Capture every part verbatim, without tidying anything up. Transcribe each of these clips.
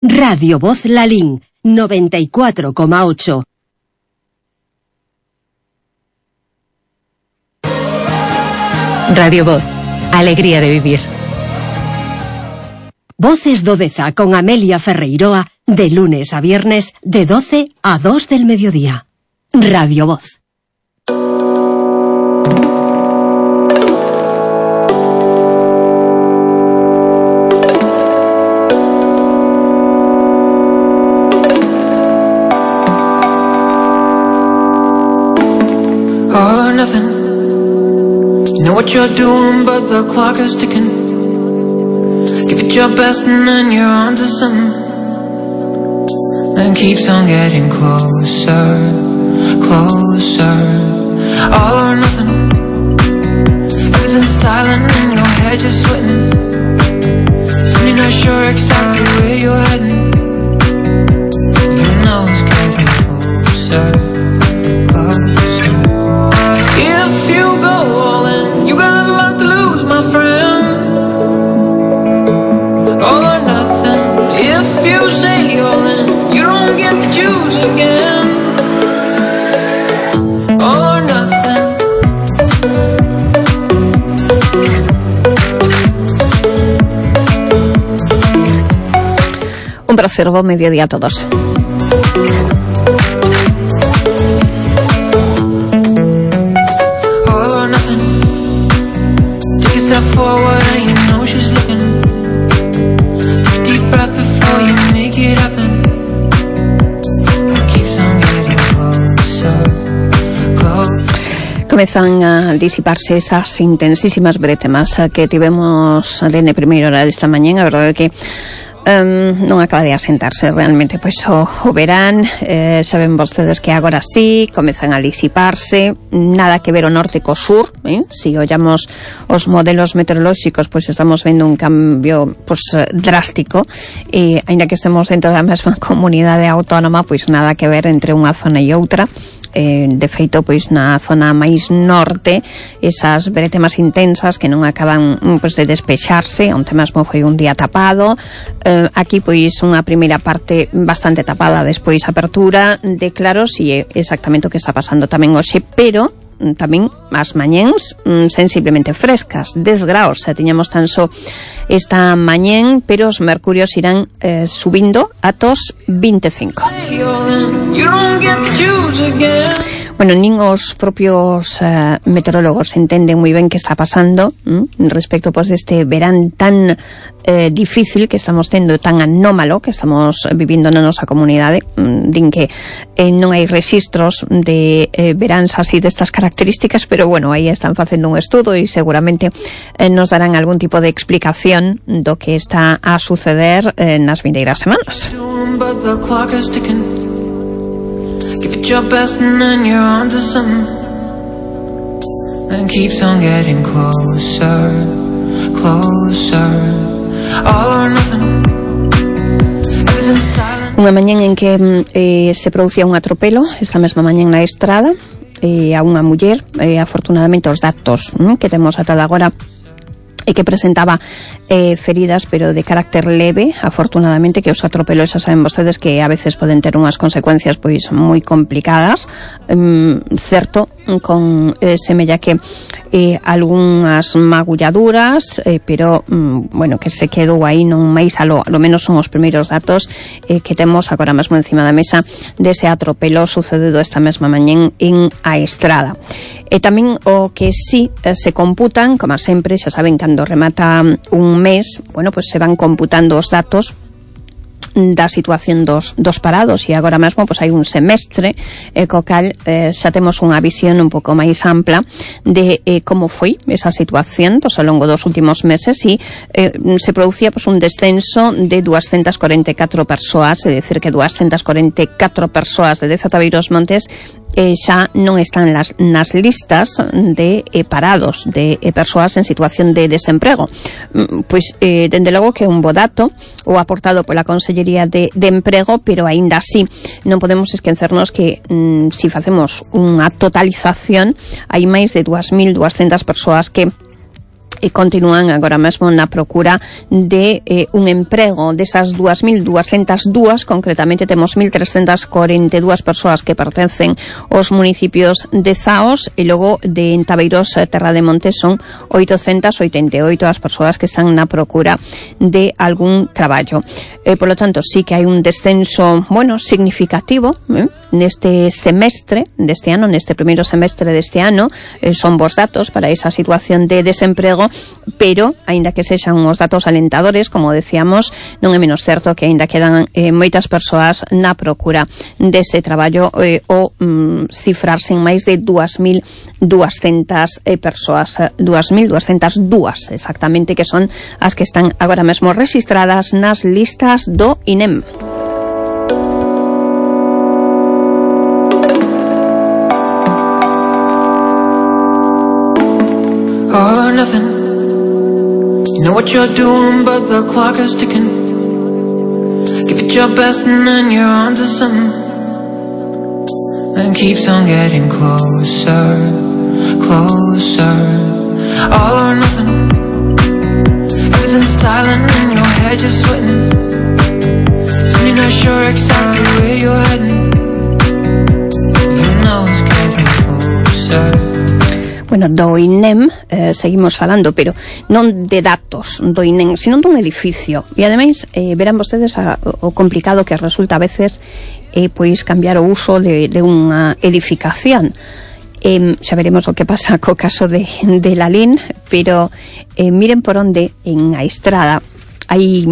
Radio Voz Lalín, noventa y cuatro coma ocho. Radio Voz, alegría de vivir. Voces do Deza con Amelia Ferreiroa, de lunes a viernes, de doce a dos del mediodía. Radio Voz. All or nothing. You know what you're doing, but the clock is ticking. Give it your best and then you're on to something. Then keeps on getting closer, closer. All or nothing. Everything's silent in your head, you're sweating. Soon you're not sure exactly where you're heading. You know it's getting closer, closer. If you go all in, you got a lot to lose, my friend. All or nothing. If you say all in, you don't get to choose again. All or nothing. Un placer, buen mediodía a todos. Forward and you know she's looking. Take a deep breath before you make it happen. It keeps on getting closer, closer. Comezan a disiparse esas intensísimas bretemas que tivemos dende primeira hora desta mañá. A verdade é que Um, non acaba de asentarse realmente pois o, o verán. eh, Saben vostedes que agora sí comezan a disiparse, nada que ver o norte co sur, eh? Si ollamos os modelos meteorolóxicos, pois estamos vendo un cambio pois drástico, e aínda que estemos dentro da mesma comunidade autónoma, pois nada que ver entre unha zona e outra. Eh, de feito, pois na zona máis norte, esas bretemas intensas que non acaban pois de despexarse, onte mesmo foi un día tapado. eh, aquí pois unha primeira parte bastante tapada, despois apertura de claros, e é exactamente o que está pasando tamén hoxe, pero tamén as mañéns mm, sensiblemente frescas, dez graus xa tiñamos tan só esta mañén, pero os mercurios irán eh, subindo atos vinte e cinco. Bueno, nin os propios eh, meteorólogos entenden moi ben que está pasando mm, respecto pois deste verán tan eh, difícil que estamos tendo, tan anómalo que estamos vivindo na nosa comunidade. mm, Din que eh, non hai rexistros de eh, veráns así destas características, pero bueno, aí están facendo un estudo e seguramente eh, nos darán algún tipo de explicación do que está a suceder eh, nas vindeiras semanas. Give it your best and then you're on to something. Then keeps on getting closer, closer. All or nothing. Everything's silent. Unha mañán en que eh, se producía un atropelo, esta mesma mañán na estrada, eh, a unha muller, eh, afortunadamente os datos mm, que temos ata agora e que presentaba eh, feridas, pero de carácter leve, afortunadamente, que os atropelos, xa saben vostedes que a veces poden ter unhas consecuencias pois moi complicadas. um, certo, con eh, semella que eh, algunhas magulladuras, eh, pero um, bueno, que se quedou aí non máis alo, alo menos son os primeiros datos eh, que temos agora mesmo encima da mesa dese atropelo sucedido esta mesma mañén en a Estrada. E tamén o que sí eh, se computan, como sempre, xa saben, cando remata un mes, bueno, pois se van computando os datos da situación dos, dos parados, e agora mesmo pois hai un semestre eh, co cal eh, xa temos unha visión un pouco máis ampla de eh, como foi esa situación pois ao longo dos últimos meses, e eh, se producía pois un descenso de doscientas cuarenta e catro persoas, é dicir que doscientas cuarenta e catro persoas de Deza Tabeiros Montes eh, xa non están las, nas listas de eh, parados, de eh, persoas en situación de desemprego. Mm, pois, eh, dende logo que é un bo dato o aportado pola Consellería de, de Emprego, pero aínda así non podemos esquecernos que mm, si facemos unha totalización hai máis de dúas mil doscientas persoas que e continúan agora mesmo na procura de eh, un emprego. Desas dúas mil duascentas e dúas, concretamente temos mil trescentas corenta e dúas persoas que pertencen aos municipios de Zaos, e logo de Entabeiros, Terra de Montes, son oitocentas oitenta e oito as persoas que están na procura de algún traballo. Eh, por lo tanto, sí que hai un descenso, bueno, significativo eh, neste semestre deste ano, neste primeiro semestre deste ano. Eh, son bons datos para esa situación de desemprego, pero, aínda que sexan uns datos alentadores, como decíamos, non é menos certo que aínda quedan eh, moitas persoas na procura dese traballo, eh, o mm, cifrarse en máis de dúas mil duascentas eh, persoas, dúas mil duascentas e dúas exactamente, que son as que están agora mesmo registradas nas listas do I N E M. All or nothing. You know what you're doing, but the clock is ticking. Give it your best and then you're on to something. Then keeps on getting closer, closer. All or nothing. Everything's silent in your head, you're sweating. Soon you're not sure exactly where you're heading. You know it's getting closer. Bueno, do I N E M eh, seguimos falando, pero non de datos do I N E M, sino dun edificio. E ademais, eh, verán vostedes a, o complicado que resulta a veces eh, pois cambiar o uso de, de unha edificación. Eh, xa veremos o que pasa co caso de, de Lalín, pero eh, miren por onde en a Estrada hai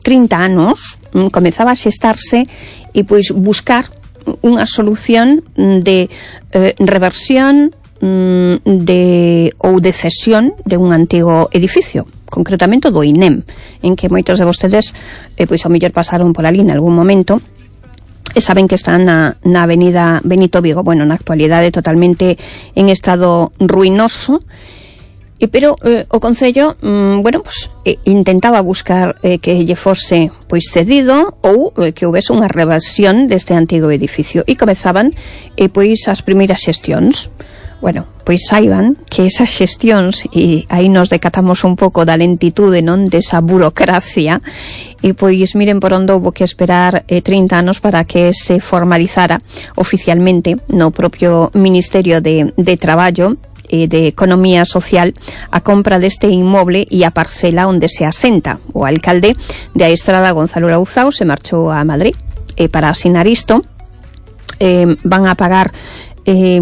trinta anos mm, comezaba a xestarse e pois buscar unha solución de eh, reversión de ou de cesión de un antigo edificio, concretamente do I N E M, en que moitos de vostedes eh, pois ao mellor pasaron por ali en algún momento e saben que están na, na avenida Benito Vigo, bueno, na actualidade totalmente en estado ruinoso. E pero eh, o Concello, mm, bueno, pues, eh, intentaba buscar eh, que lle fose pois cedido ou eh, que houvese unha reversión deste antigo edificio, e comezaban eh, pois as primeiras xestións. Bueno, pois saiban que esas xestións, e aí nos decatamos un pouco da lentitude, non, desa burocracia, e pois miren por onde houve que esperar eh, trinta anos para que se formalizara oficialmente no propio Ministerio de, de Traballo e de Economía Social a compra deste inmoble e a parcela onde se asenta. O alcalde de A Estrada, Gonzalo Lauzao, se marchou a Madrid e para asinar isto eh, van a pagar Eh,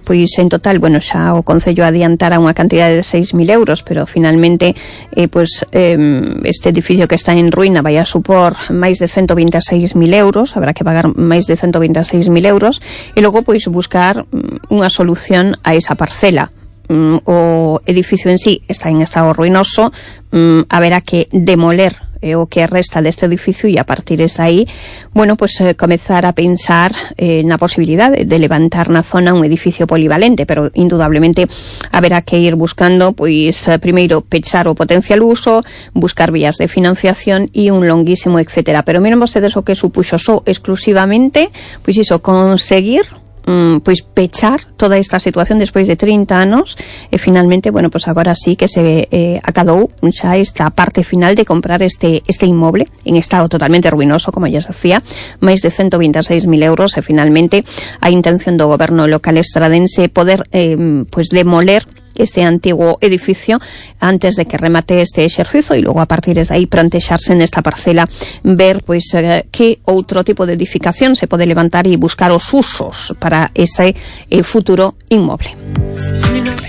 pois en total, bueno, xa o Concello adiantara unha cantidade de seis mil euros, pero finalmente eh, pois, eh, este edificio que está en ruína vai a supor máis de ciento vinte e seis mil euros, habrá que pagar máis de ciento vinte e seis mil euros, e logo pois buscar unha solución a esa parcela. Mm, o edificio en sí está en estado ruinoso, mm, haberá que demoler eh, o que resta deste edificio, e a partir de aí, bueno, pues eh, comezar a pensar eh, na posibilidade de levantar na zona un edificio polivalente, pero indudablemente haberá que ir buscando, pois, eh, primeiro pechar o potencial uso, buscar vías de financiación e un longuísimo etcétera. Pero miren vostedes o que supuxo só exclusivamente, pois iso, conseguir Mm, pois pechar toda esta situación despois de trinta anos, e finalmente, bueno, pois agora sí que se eh, acadou xa esta parte final de comprar este este inmoble en estado totalmente ruinoso, como ya se hacía, máis de ciento vinte e seis mil euros, e finalmente a intención do goberno local estradense poder eh, pois demoler este antigo edificio antes de que remate este exercicio, e logo a partir de aí plantexarse nesta parcela ver pois eh, que outro tipo de edificación se pode levantar e buscar os usos para ese eh, futuro inmoble.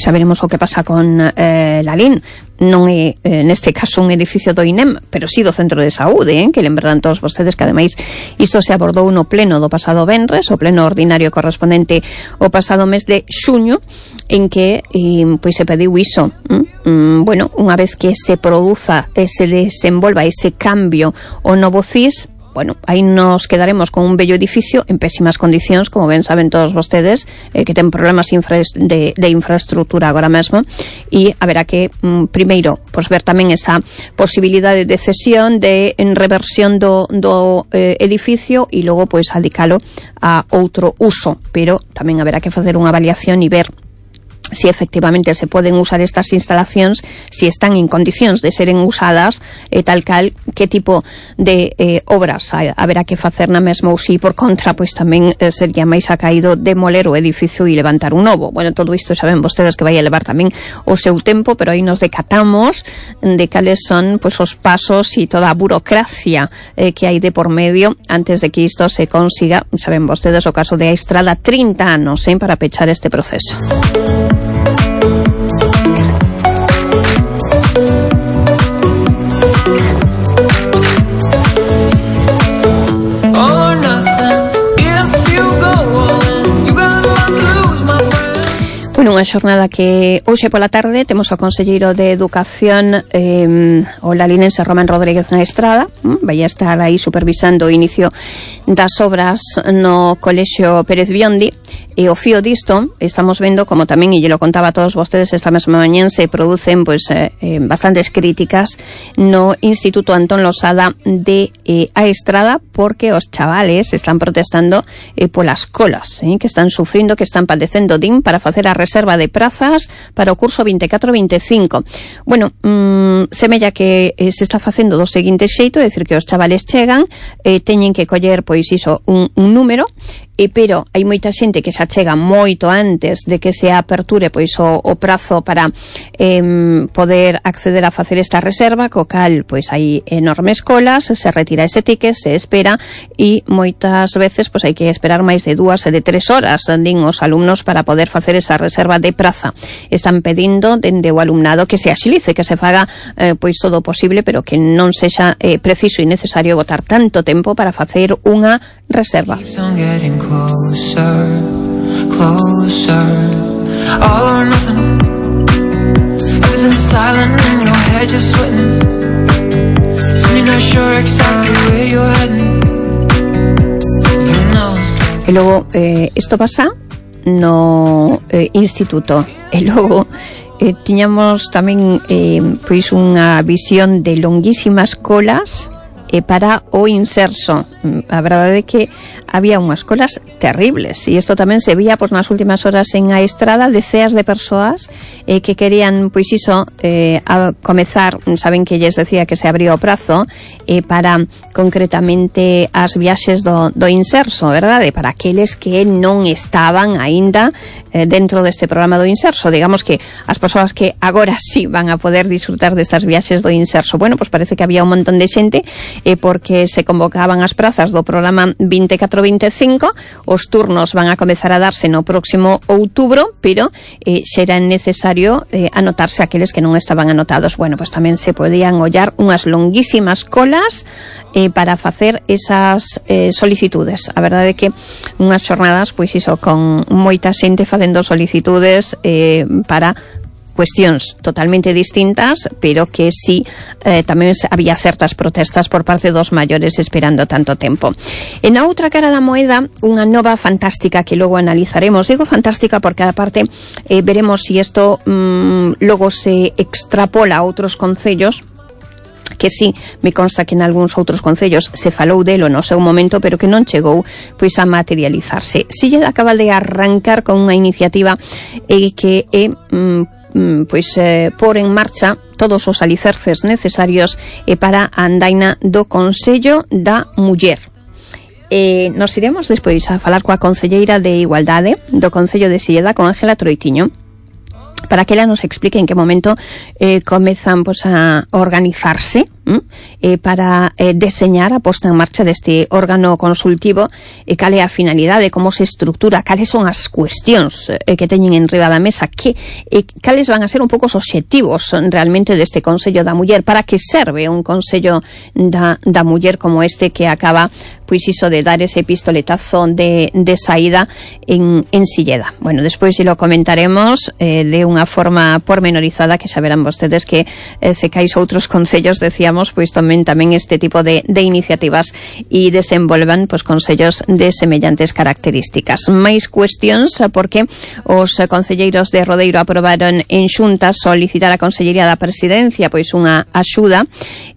Xa veremos o que pasa con eh, Lalín. Non é, eh, neste caso, un edificio do I N E M, pero sí do Centro de Saúde, eh, que lembrarán todos vostedes que, ademais, isto se abordou no pleno do pasado venres, o pleno ordinario correspondente o pasado mes de xuño, en que eh, pois se pediu iso. Mm, bueno, unha vez que se produza, eh, se desenvolva ese cambio o novo C I S, bueno, aí nos quedaremos con un bello edificio en pésimas condicións, como ben saben todos vostedes, eh, que ten problemas infra de, de infraestructura agora mesmo, e haberá que, mm, primeiro, pues, ver tamén esa posibilidade de cesión, de en reversión do, do eh, edificio, e logo, pois, adicalo a outro uso, pero tamén haberá que facer unha avaliación e ver si efectivamente se poden usar estas instalacións, si están en condicións de seren usadas, e tal cal, que tipo de eh, obras ha, haberá que facer na mesma, ou si por contra, pois tamén eh, sería máis acaído demoler o edificio e levantar un novo. Bueno, todo isto saben vostedes que vai a levar tamén o seu tempo, pero aí nos decatamos de cales son pois os pasos e toda a burocracia eh, que hai de por medio antes de que isto se consiga. Saben vostedes o caso de A Estrada, trinta anos eh, para pechar este proceso. Bueno, unha xornada que hoxe pola tarde temos o conselleiro de Educación, eh, o lalinense Román Rodríguez na Estrada, mm, vai a estar aí supervisando o inicio das obras no Colexio Pérez Biondi, e o fío disto estamos vendo, como tamén, e lle lo contaba a todos vostedes esta mesma mañán, se producen pues, eh, eh, bastantes críticas no Instituto Antón Losada de eh, A Estrada, porque os chavales están protestando eh, polas colas, eh, que están sufrindo, que están padecendo din para facer a reserva de prazas para o curso veinticuatro veinticinco. Bueno, mmm, semella que eh, se está facendo do seguinte xeito, é dicir, que os chavales chegan, eh, teñen que coller, pois iso, un, un número, e pero hai moita xente que xa chega moito antes de que se aperture pois o, o prazo para eh, poder acceder a facer esta reserva, co cal pois hai enormes colas, se retira ese ticket, se espera, e moitas veces pois hai que esperar máis de dúas e de tres horas, din os alumnos, para poder facer esa reserva de praza. Están pedindo dende o alumnado que se axilice, que se faga eh, pois todo o posible, pero que non sexa eh, preciso e necesario botar tanto tempo para facer unha reserva. Closer, closer, all or nothing. Everything's silent in your head, you're sweating. So you're not sure exactly where you're heading. You know. E logo, eh, isto pasa no eh, instituto. E logo, eh, tiñamos tamén eh, pois unha visión de longuísimas colas eh, para o inserso. A verdade é que había unhas colas terribles, e isto tamén se vía pois nas últimas horas en A Estrada, deceas de persoas eh, que querían, pois iso, eh, a comezar, saben que lles decía que se abría o prazo eh, para concretamente as viaxes do, do inserso, verdade? Para aqueles que non estaban aínda eh, dentro deste programa do inserso, digamos que as persoas que agora sí van a poder disfrutar destas viaxes do inserso. Bueno, pois parece que había un montón de xente eh, porque se convocaban as prazas do programa veinticuatro veinticinco, os turnos van a comezar a darse no próximo outubro, pero eh, xera necesario eh, anotarse aqueles que non estaban anotados. Bueno, pois tamén se podían ollar unhas longuísimas colas eh, para facer esas eh, solicitudes. A verdade é que unhas xornadas, pois iso, con moita xente facendo solicitudes eh, para cuestións totalmente distintas, pero que sí eh, tamén había certas protestas por parte dos maiores esperando tanto tempo. E na outra cara da moeda, unha nova fantástica que logo analizaremos. Digo fantástica porque, aparte, eh, veremos si isto mm, logo se extrapola a outros concellos, que sí, me consta que en algúns outros concellos se falou delo no seu momento, pero que non chegou pois a materializarse. Silleda acaba de arrancar con unha iniciativa eh, que é mm, pois eh, por en marcha todos os alicerces necesarios eh, para a andaina do Consello da Muller. Eh, nos iremos despois a falar coa concelleira de Igualdade do Concello de Silleda, con Ángela Troitiño, para que ela nos explique en que momento eh, comezan pues, a organizarse eh, para eh, deseñar a posta en marcha deste órgano consultivo, e eh, cal é a finalidade, como se estructura, cales son as cuestións eh, que teñen en riba da mesa, que eh, cales van a ser un pouco os obxectivos realmente deste Consello da Muller, para que serve un Consello da, da Muller como este, que acaba pois iso de dar ese pistoletazo de, de saída en, en Silleda. Bueno, despois se lo comentaremos eh, de unha forma pormenorizada, que xa verán vostedes que eh, se cais outros concellos, decíamos, pois tamén tamén este tipo de, de iniciativas e desenvolvan pois concellos de semellantes características. Mais cuestións, porque os concelleiros de Rodeiro aprobaron en xunta solicitar a Consellería da Presidencia pois unha axuda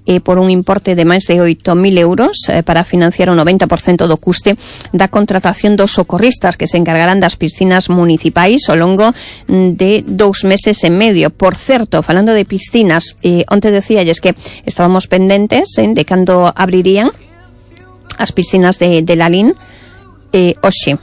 eh, por un importe de máis de oito mil euros eh, para financiar un noventa por cento do custe da contratación dos socorristas que se encargarán das piscinas municipais ao longo de dous meses e medio. Por certo, falando de piscinas, eh, onte decíalles que estábamos pendentes eh, de cando abrirían as piscinas de, de Lalín. eh, Oxe,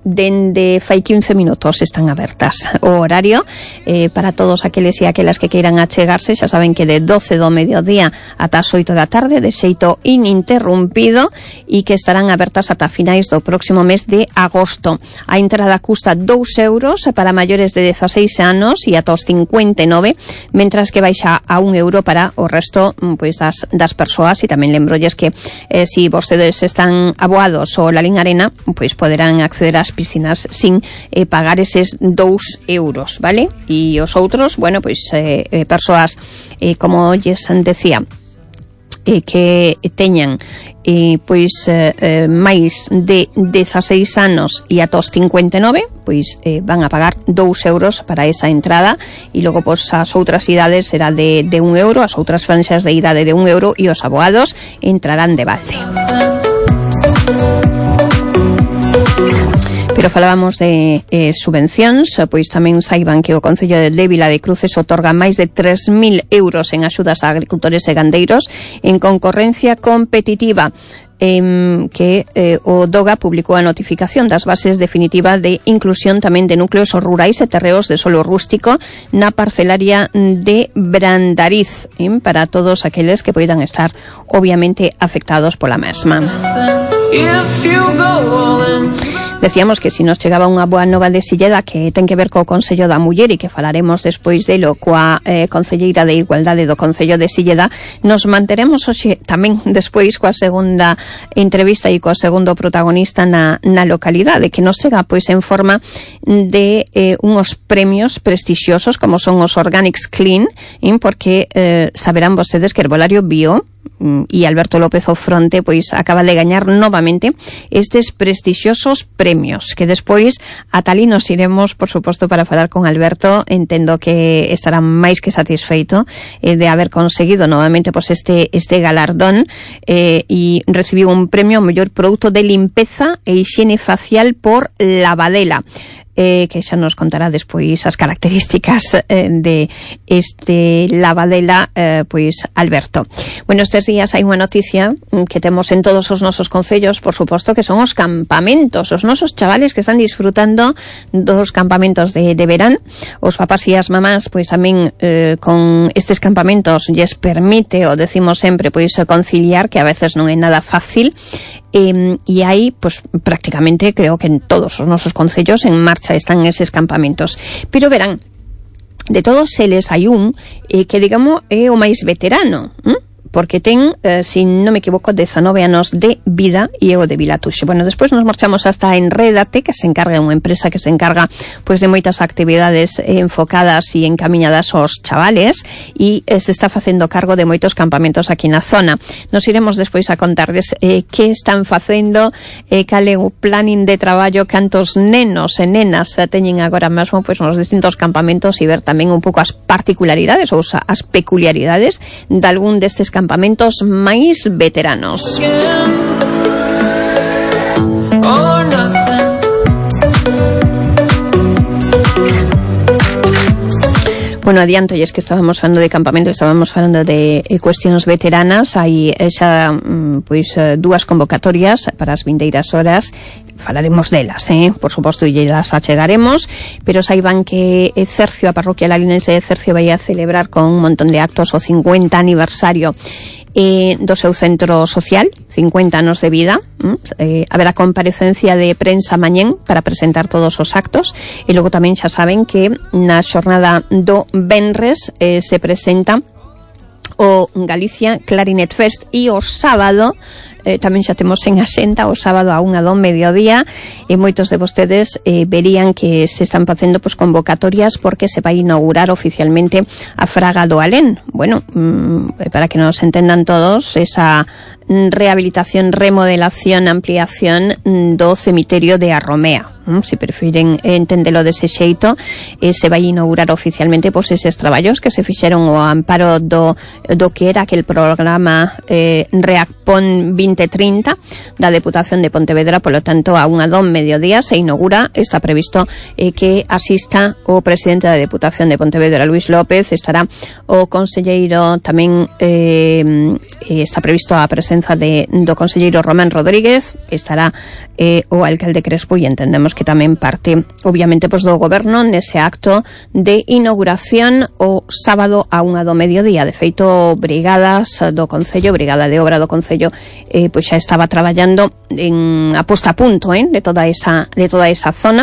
dende fai quince minutos están abertas o horario eh, para todos aqueles e aquelas que queiran achegarse. Xa saben que de doce do mediodía ata as oito da tarde de xeito ininterrumpido e que estarán abertas ata finais do próximo mes de agosto. A entrada custa dous euros para maiores de dezaseis anos e ata os cincuenta e nove, mentras que baixa a un euro para o resto pois, das, das persoas. E tamén lembrolles que eh, si vostedes están aboados ao Lalín Arena, pois poderán acceder ás piscinas sin eh, pagar eses dous euros, vale? E os outros, bueno, pois eh, eh, persoas, eh, como lles decía, eh, que teñan eh, pois eh, eh, máis de dezaseis anos e ata os cincuenta e nove, pois eh, van a pagar dous euros para esa entrada, e logo pois as outras idades será de, de un euro, as outras franxas de idade de un euro, e os abogados entrarán de balde. Pero falábamos de eh, subvencións, pois tamén saiban que o Concello de Vila de Cruces otorga máis de tres mil euros en axudas a agricultores e gandeiros en concorrencia competitiva. Eh, que eh, o DOGA publicou a notificación das bases definitivas de inclusión tamén de núcleos rurais e terreos de solo rústico na parcelaria de Brandariz, eh, para todos aqueles que poidan estar obviamente afectados pola mesma. Decíamos que si nos chegaba unha boa nova de Silleda que ten que ver co Concello da Muller e que falaremos despois delo coa eh, Concelleira de Igualdade do Concello de Silleda, nos manteremos hoxe tamén despois coa segunda entrevista e coa segundo protagonista na, na localidade, que nos chega pois en forma de eh, unhos premios prestixiosos como son os Organics Clean, eh, porque eh, saberán vostedes que Herbolario Bio e Alberto López Ofronte pois acaba de gañar novamente estes prestixiosos premios, que despois ata ali nos iremos, por suposto, para falar con Alberto. Entendo que estará máis que satisfeito eh, de haber conseguido novamente pois este este galardón eh, e recibiu un premio ao mellor produto de limpeza e hixiene facial por Lavadela. Eh, que xa nos contará despois as características eh, de este Lavadela, eh, pois Alberto. Bueno, estes días hai unha noticia que temos en todos os nosos concellos, por suposto, que son os campamentos, os nosos chavales que están disfrutando dos campamentos de, de verán. Os papás e as mamás, pois tamén eh, con estes campamentos lles permite, o decimos sempre, pois conciliar, que a veces non é nada fácil. Eh, e aí, pues prácticamente creo que en todos os nosos concellos en marcha están eses campamentos. Pero verán, de todos eles hai un eh, que digamos é o máis veterano, ¿eh? Porque ten, eh, si non me equivoco, dezanove anos de vida e é o de Vilatuxe. Bueno, despois nos marchamos hasta Enrédate, que se encarga, unha empresa que se encarga pois de moitas actividades eh, enfocadas e encamiñadas aos chavales, e eh, se está facendo cargo de moitos campamentos aquí na zona. Nos iremos despois a contarles eh, que están facendo, eh, cal é o planning de traballo, cantos nenos e nenas eh, teñen agora mesmo pois nos distintos campamentos, e ver tamén un pouco as particularidades ou as peculiaridades de algún destes campamentos máis veteranos. Bueno, adianto, e es que estábamos falando de campamento, estábamos falando de eh, cuestións veteranas. Hai eh, xa pois eh, dúas convocatorias para as vindeiras horas. Falaremos delas, eh? Por suposto, e las achegaremos, pero saiban que Cercio, a parroquia lalinense de Cercio, vai a celebrar con un montón de actos o cincuenta aniversario eh, do seu centro social, cincuenta anos de vida. Eh, haberá comparecencia de prensa mañén para presentar todos os actos, e logo tamén xa saben que na xornada do venres eh, se presenta o Galicia Clarinet Fest, e o sábado eh, tamén xa temos en axenda o sábado a unha do mediodía, e moitos de vostedes eh, verían que se están facendo pues, convocatorias porque se vai inaugurar oficialmente a Fraga do Alén. Bueno, mmm, para que nos entendan todos, esa rehabilitación, remodelación, ampliación do cemiterio de Arromea. mm, se prefiren entendelo dese xeito, eh, se vai inaugurar oficialmente pois eses traballos que se fixeron ao amparo do, do que era aquel programa eh, Reacpon vinte trinta da Deputación de Pontevedra. Polo tanto, a unha do mediodía se inaugura. Está previsto eh, que asista o presidente da Deputación de Pontevedra, Luis López. Estará o conselleiro tamén, eh, está previsto a presenza de, do conselleiro Román Rodríguez. Estará eh, o alcalde Crespo, e entendemos que tamén parte, obviamente, pois do goberno nese acto de inauguración o sábado a unha do mediodía. De feito, brigadas do Concello, Brigada de Obra do Concello, eh, pois xa estaba traballando en a posta a punto eh, de toda esa de toda esa zona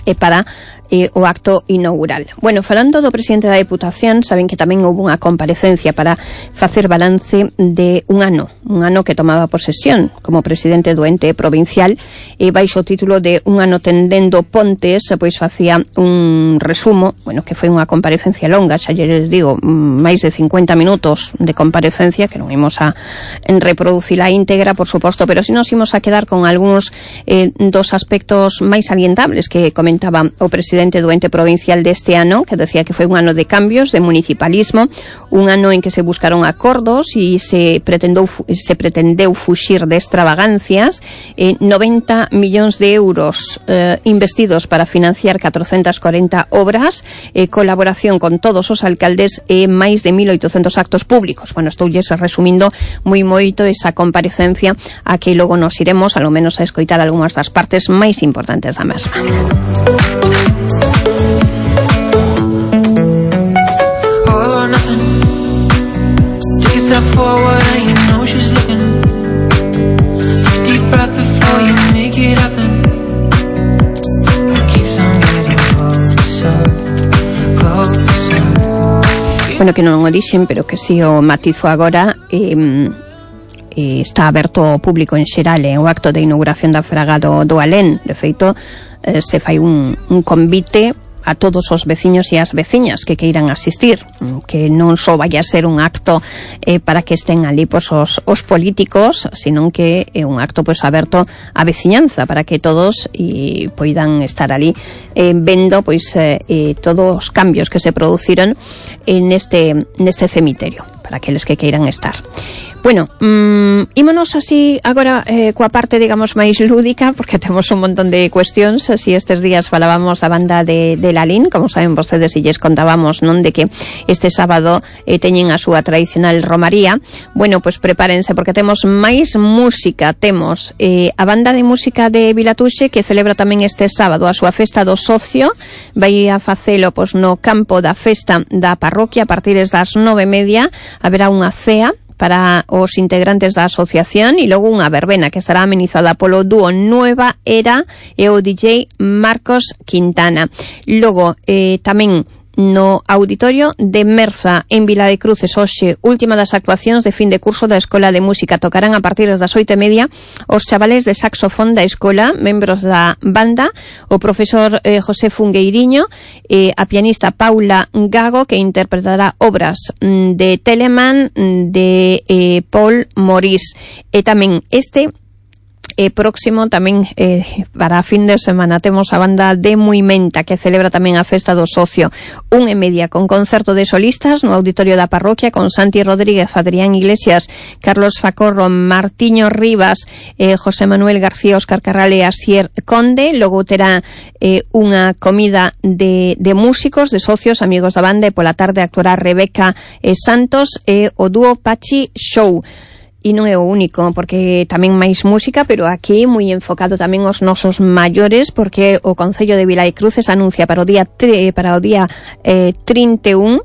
e para eh, o acto inaugural. Bueno, falando do presidente da Deputación, saben que tamén houve unha comparecencia para facer balance de un ano, un ano que tomaba posesión como presidente do ente provincial, e baixo o título de Un ano tendendo pontes, pois facía un resumo, bueno, que foi unha comparecencia longa, xa lles digo, máis de cincuenta minutos de comparecencia, que non imos a reproducir a íntegra, por suposto, pero si nos imos a quedar con algúns eh, dos aspectos máis salientables que comentaba o presidente do ente provincial deste ano, que decía que foi un ano de cambios, de municipalismo, un ano en que se buscaron acordos e se pretendeu, se pretendeu fuxir de extravagancias, eh, noventa millóns de euros eh, investidos para financiar catrocentas corenta obras, eh, colaboración con todos os alcaldes e eh, máis de mil oitocentos actos públicos. Bueno, estou lles resumindo moi moito esa comparecencia, a que logo nos iremos, alo menos, a escoitar algunhas das partes máis importantes da mesma. Step forward and you know she's looking. Take a deep breath before you make it happen. Keeps on getting closer, closer. Bueno, que non o dixen, pero que si o matizo agora, eh, eh, está aberto ao público en xeral eh, o acto de inauguración da Fraga do, do Alén. De feito, eh, se fai un, un convite a todos os veciños e as veciñas que queiran asistir, que non só vai a ser un acto eh, para que estén ali pois, os, os políticos, sino que é un acto pois, aberto á veciñanza, para que todos e, poidan estar ali eh, vendo pois, eh, eh, todos os cambios que se produciron en este, neste cemiterio, para aqueles que queiran estar. Bueno, mmm, ímonos así agora eh, coa parte, digamos, máis lúdica, porque temos un montón de cuestións. Así estes días falábamos da banda de, de Lalín, como saben vostedes, e lles contábamos, non, de que este sábado eh, teñen a súa tradicional romaría. Bueno, pois prepárense, porque temos máis música. Temos eh, a banda de música de Vilatuxe, que celebra tamén este sábado a súa festa do socio. Vai a facelo pois, no campo da festa da parroquia a partir das nove e media. Haberá unha cea para os integrantes da asociación e logo unha verbena que estará amenizada polo dúo Nueva Era e o D J Marcos Quintana. Logo, eh, tamén no auditorio de Merza en Vila de Cruces, hoxe, última das actuacións de fin de curso da Escola de Música. Tocarán a partir das oito e media os chavales de saxofón da escola, membros da banda, o profesor eh, José Fungueiriño, eh, a pianista Paula Gago, que interpretará obras mm, de Telemann, de eh, Paul Maurice. E tamén este E próximo tamén eh, para a fin de semana temos a banda de Muimenta, que celebra tamén a festa do socio, un e media con concerto de solistas no auditorio da parroquia con Santi Rodríguez, Adrián Iglesias, Carlos Facorro, Martiño Rivas, eh, José Manuel García, Óscar Carral e Asier Conde. Logo terá eh, unha comida de, de músicos, de socios, amigos da banda, e pola tarde actuará Rebeca eh, Santos e o dúo Pachi Show. E non é o único, porque tamén máis música, pero aquí moi enfocado tamén aos nosos maiores, porque o Concello de Vila de Cruces anuncia para o día para o día eh, trinta e un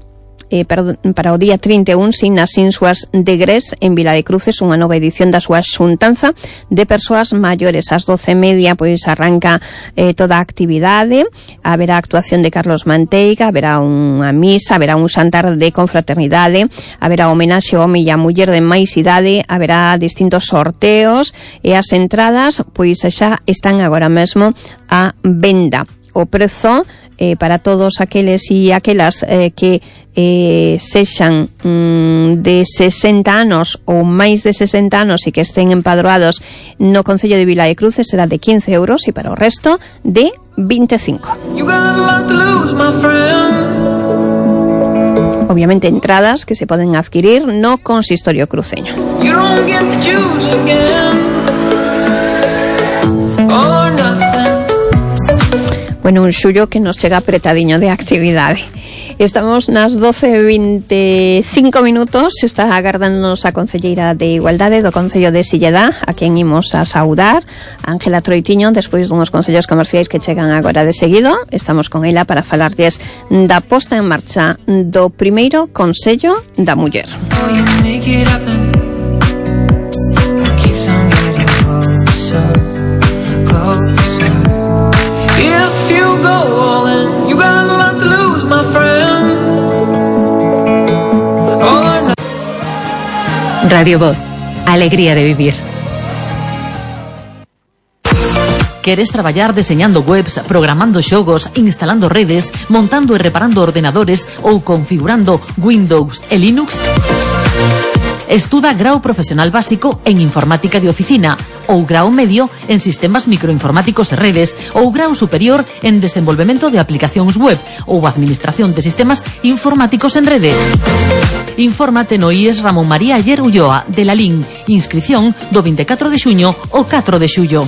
eh, para, para o día trinta e un sin as Insuas de Gres en Vila de Cruces unha nova edición da súa xuntanza de persoas maiores. Ás doce e media pois arranca eh, toda a actividade, haberá actuación de Carlos Manteiga, haberá unha misa, haberá un xantar de confraternidade, haberá homenaxe ao home e a muller de máis idade, haberá distintos sorteos e as entradas pois xa están agora mesmo a venda. o prezo eh, para todos aqueles e aquelas eh, que eh, sexan mm, de sesenta anos ou máis de sesenta anos e que estén empadroados no Concello de Vila de Cruces será de quince euros e para o resto de veinticinco. Obviamente entradas que se poden adquirir no consistorio cruceño. Bueno, un xullo que nos chega apretadiño de actividade. Estamos nas doce e veinticinco minutos. Está agardándonos a concelleira de Igualdade do Concello de Silleda, a quen imos a saudar, Ángela Troitiño, despois dunhos concellos comerciais que chegan agora de seguido. Estamos con ela para falarlles da posta en marcha do primeiro Consello da Muller. Radio Voz, alegría de vivir. Queres traballar deseñando webs, programando xogos, instalando redes, montando e reparando ordenadores ou configurando Windows e Linux? Estuda grao profesional básico en informática de oficina ou grao medio en sistemas microinformáticos e redes ou grao superior en desenvolvemento de aplicacións web ou administración de sistemas informáticos en rede. Infórmate no I E S Ramón María Ayer Ulloa de la L I N. Inscripción do veinticuatro de xuño ao catro de xullo.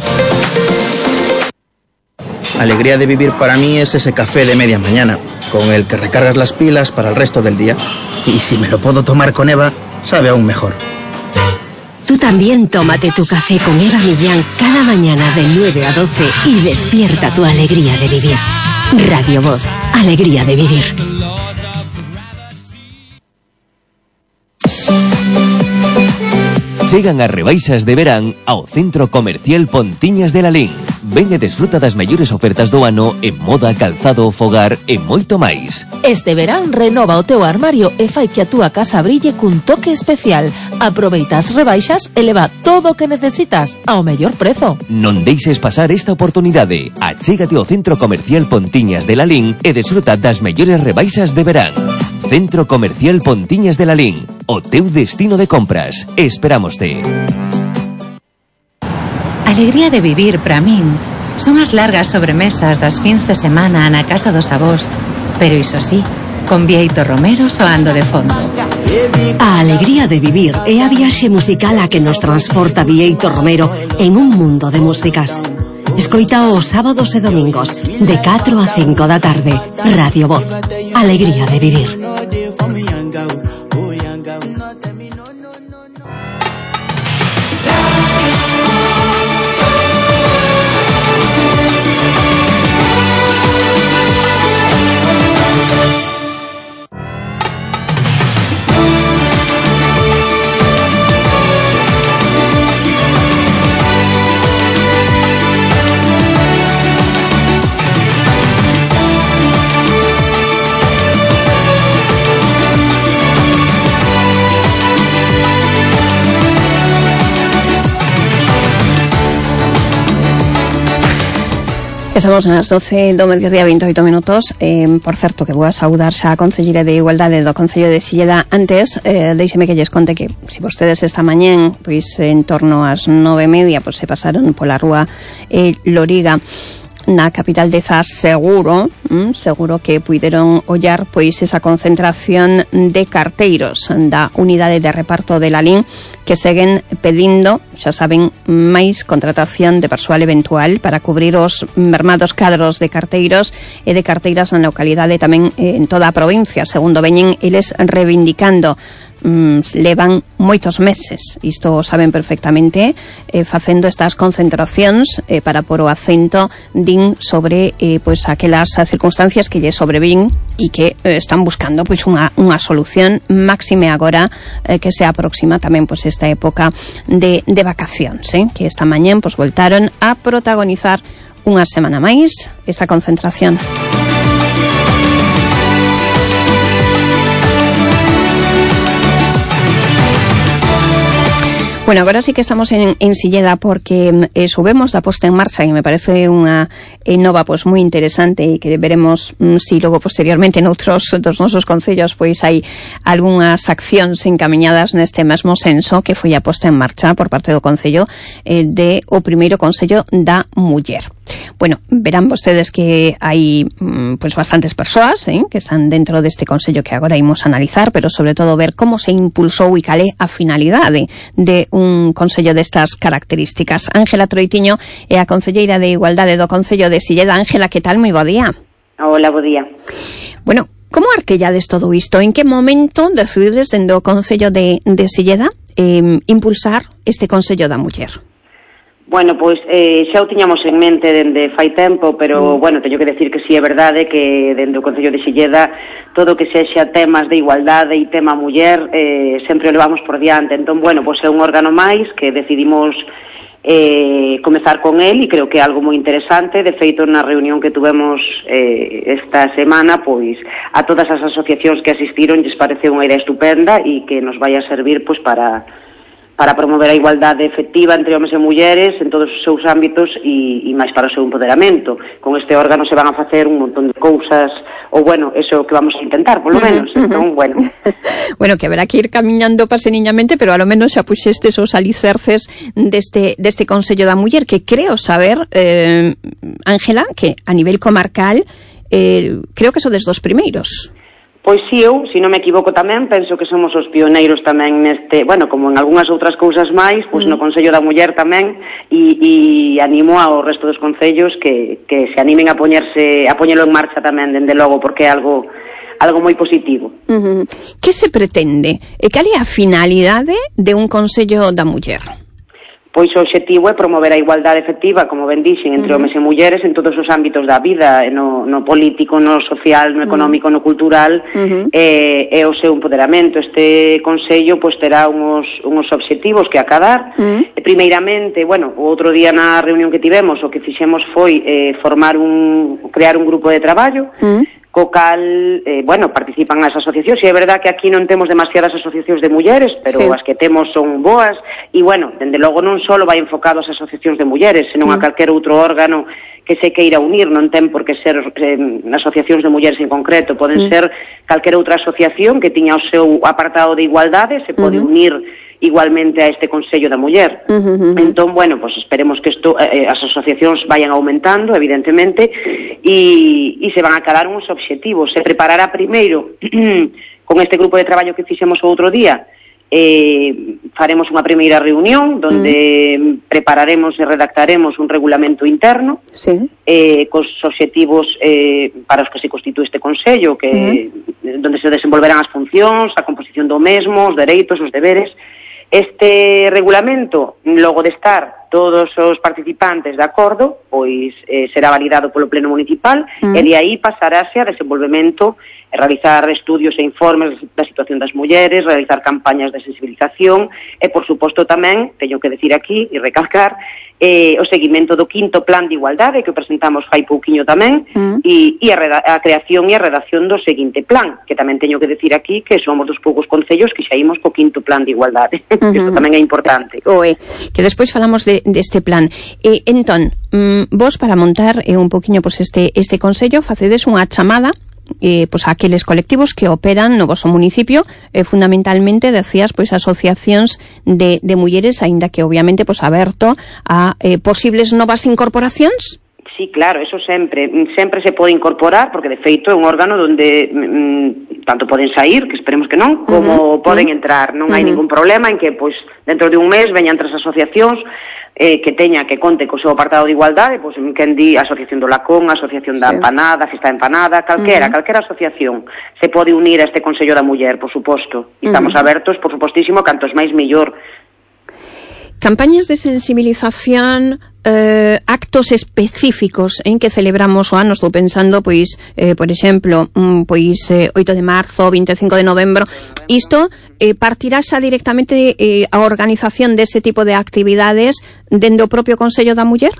Alegría de vivir para mí es ese café de media mañana, con el que recargas las pilas para el resto del día. Y si me lo puedo tomar con Eva, sabe aún mejor. Tú también tómate tu café con Eva Millán cada mañana de nueve a doce y despierta tu alegría de vivir. Radio Voz, alegría de vivir. Chegan as rebaixas de verán ao Centro Comercial Pontiñas de Lalín. Ven e desfruta das mellores ofertas do ano en moda, calzado, fogar e moito máis. Este verán renova o teu armario e fai que a túa casa brille cun toque especial. Aproveita as rebaixas e leva todo o que necesitas ao mellor prezo. Non deixes pasar esta oportunidade. Achégate ao Centro Comercial Pontiñas de Lalín e desfruta das mellores rebaixas de verán. Centro Comercial Pontiñas de Lalín, o teu destino de compras. Esperámoste. Alegría de vivir para min son as largas sobremesas das fins de semana na casa dos avós, pero iso sí, con Bieito Romero soando de fondo. A alegría de vivir é a viaxe musical a que nos transporta Bieito Romero en un mundo de músicas. Escoita os sábados e domingos de catro a cinco da tarde. Radio Voz, alegría de vivir. Estamos nas doce do mediodía veintioito minutos. eh, Por certo que vou a saudar xa a Concelleira de Igualdade do Concello de Silleda. Antes, eh, deixeme que lles conte que se vostedes esta mañén, pois en torno ás nove e media, pois se pasaron pola rúa eh, Loriga na capital de Zas, seguro, mm, seguro que puideron ollar pois esa concentración de carteiros da unidade de reparto de Lalín que seguen pedindo, xa saben, máis contratación de persoal eventual para cubrir os mermados cadros de carteiros e de carteiras na localidade tamén eh, en toda a provincia, segundo veñen eles reivindicando. Mm, levan moitos meses, isto o saben perfectamente, eh, facendo estas concentracións eh, para por o acento din sobre eh, pois aquelas circunstancias que lle sobrevín e que eh, están buscando pois unha, unha solución máxime agora eh, que se aproxima tamén pois esta época de, de vacacións, eh, que esta mañén pois voltaron a protagonizar unha semana máis esta concentración. Bueno, agora sí que estamos en, en Silleda porque eh, subemos da posta en marcha e me parece unha eh, nova pois moi interesante e que veremos mm, si logo posteriormente noutros dos nosos concellos pois hai algunhas accións encamiñadas neste mesmo senso que foi a posta en marcha por parte do Concello eh, de o primeiro Consello da Muller. Bueno, verán vostedes que hai mm, pois bastantes persoas eh, que están dentro deste Consello que agora imos analizar, pero sobre todo ver como se impulsou e cal é a finalidade de un consello destas características. Ángela Troitiño é a concelleira de Igualdade do Concello de Silleda. Ángela, que tal? Moi bo día. Hola, bo día. Bueno, como artellades todo isto? En que momento decidides dende o Concello de, de Silleda eh, impulsar este Consello da Muller? Bueno, pois eh, xa o tiñamos en mente dende fai tempo, pero, mm. bueno, teño que decir que si sí é verdade que dende o Concello de Silleda todo o que sexa temas de igualdade e tema muller eh, sempre o levamos por diante. Entón, bueno, pois é un órgano máis que decidimos eh, comezar con el e creo que é algo moi interesante. De feito, na reunión que tuvemos eh, esta semana, pois a todas as asociacións que asistiron lles pareceu unha idea estupenda e que nos vai a servir pois para... para promover a igualdade efectiva entre homes e mulleres en todos os seus ámbitos e, e máis para o seu empoderamento. Con este órgano se van a facer un montón de cousas, ou bueno, eso que vamos a intentar, polo menos. Uh-huh, entón, uh-huh. bueno. Bueno, que haberá que ir camiñando paseniñamente, pero a lo menos xa puxestes os alicerces deste, deste Consello da Muller, que creo saber, eh, Ángela, que a nivel comarcal, eh, creo que sodes dos primeiros. Pois si eu, se non me equivoco tamén, penso que somos os pioneiros tamén neste, bueno, como en algunhas outras cousas máis, pois mm. no Consello da Muller tamén, e, e animo ao resto dos concellos que, que se animen a poñerse, a poñelo en marcha tamén, dende logo, porque é algo algo moi positivo. Uh-huh. Que se pretende? E cal é a finalidade de un Consello da Muller? Pois o objetivo é promover a igualdade efectiva, como ben dixen, entre uh-huh. homes e mulleres en todos os ámbitos da vida, no, no político, no social, no económico, uh-huh. no cultural, uh-huh. e, e o seu empoderamento. Este Consello pois terá uns, uns obxectivos que acadar. Uh-huh. E, primeiramente, bueno, o outro día na reunión que tivemos, o que fixemos foi eh, formar un, crear un grupo de traballo, uh-huh. co cal, eh, bueno, participan as asociacións, e é verdad que aquí non temos demasiadas asociacións de mulleres, pero sí. as que temos son boas, e, bueno, dende logo non só vai enfocado ás asociacións de mulleres, senón mm. a calquer outro órgano que se queira unir, non ten por que ser eh, asociacións de mulleres en concreto, poden mm. ser calquer outra asociación que tiña o seu apartado de igualdade, se pode mm-hmm. unir igualmente a este Consello da Muller. Uh-huh. Entón, bueno, pues esperemos que esto, eh, as asociacións vayan aumentando, evidentemente, e, e se van a cadar uns obxectivos. Se preparará primeiro con este grupo de traballo que fixemos o outro día, eh, faremos unha primeira reunión donde uh-huh. prepararemos e redactaremos un regulamento interno sí. eh, cos obxectivos eh, para os que se constitúe este Consello, que uh-huh. donde se desenvolverán as funcións, a composición do mesmo, os dereitos, os deberes. Este regulamento, logo de estar todos os participantes de acordo, pois eh, será validado polo Pleno Municipal mm. e de aí pasarase a desenvolvemento, e realizar estudios e informes da situación das mulleres, realizar campañas de sensibilización e, por suposto, tamén, teño que decir aquí e recalcar, eh, o seguimento do quinto plan de igualdade que o presentamos fai pouquiño tamén mm. e, e a, reda- a creación e a redacción do seguinte plan, que tamén teño que decir aquí que somos dos poucos concellos que xa imos co quinto plan de igualdade. Uh-huh. Isto tamén é importante. Oe, que despois falamos de, deste plan. E, entón, mm, vos para montar eh, un poquinho pues, este, este consello facedes unha chamada eh, pues, a aqueles colectivos que operan no vosso municipio, eh, fundamentalmente, decías, pois pues, asociacións de, de mulleres, aínda que obviamente pues, aberto a eh, posibles novas incorporacións? Sí, claro, eso sempre, sempre se pode incorporar, porque de feito é un órgano onde mm, tanto poden sair, que esperemos que non, como uh-huh. poden entrar. Non uh-huh. hai ningún problema en que, pois, dentro de un mes veñan tres asociacións eh, que teña, que conte co seu apartado de igualdade, pois, quen di, Asociación do Lacón, Asociación da sí. Empanada, Festa da Empanada, calquera, uh-huh. calquera asociación se pode unir a este Consello da Muller, por suposto. E estamos uh-huh. abertos, por supostísimo, cantos máis millor. Campañas de sensibilización, eh, actos específicos en que celebramos o ano, estou pensando, pois, eh, por exemplo, mm, pois eh, oito de marzo, vinte e cinco de novembro, isto eh, partirá xa directamente eh, a organización dese tipo de actividades dende o propio Consello da Muller?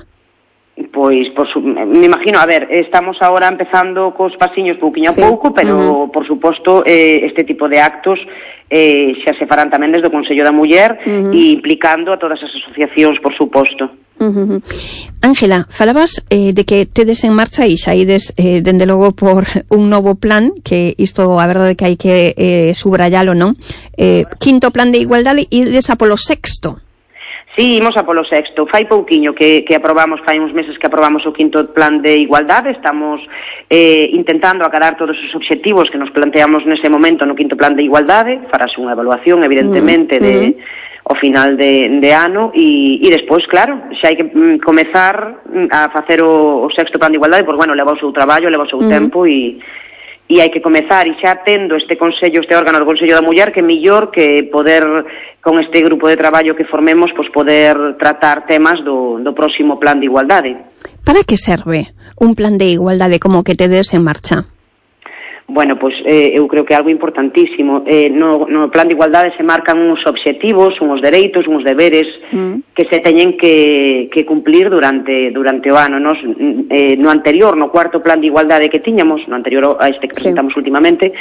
Pois, por su, me imagino, a ver, estamos ahora empezando cos pasiños pouquiño a pouco, sí. pero, uh-huh. por suposto, eh, este tipo de actos eh, xa se farán tamén desde o Consello da Muller uh-huh. e implicando a todas as asociacións, por suposto. Uh-huh. Ángela, falabas eh, de que tedes en marcha e xa ides, eh, dende logo, por un novo plan, que isto, a verdade que hai que eh, subrayalo, non? Eh, quinto plan de igualdade e ides a polo sexto. Sí, imos a polo sexto. Fai pouquiño que, que aprobamos, fai uns meses que aprobamos o quinto plan de igualdade. Estamos eh, intentando acadar todos os obxectivos que nos planteamos nese momento no quinto plan de igualdade. Farase unha evaluación, evidentemente, mm-hmm. de, ao final de, de ano e, e despois, claro, xa hai que mm, comezar a facer o, o sexto plan de igualdade, porque, bueno, leva o seu traballo, leva o seu mm-hmm. tempo e... e hai que comezar, e xa tendo este consello, este órgano do Consello da Muller, que mellor que poder, con este grupo de traballo que formemos, pues poder tratar temas do, do próximo plan de igualdade. Para que serve un plan de igualdade como que tedes en marcha? Bueno, pois pues, eh, eu creo que é algo importantísimo. Eh, no, no plan de igualdade se marcan uns obxectivos, uns dereitos, uns deberes mm. que se teñen que, que cumplir durante durante o ano. Nos, eh, no anterior, no cuarto plan de igualdade que tiñamos, no anterior a este que presentamos sí. últimamente,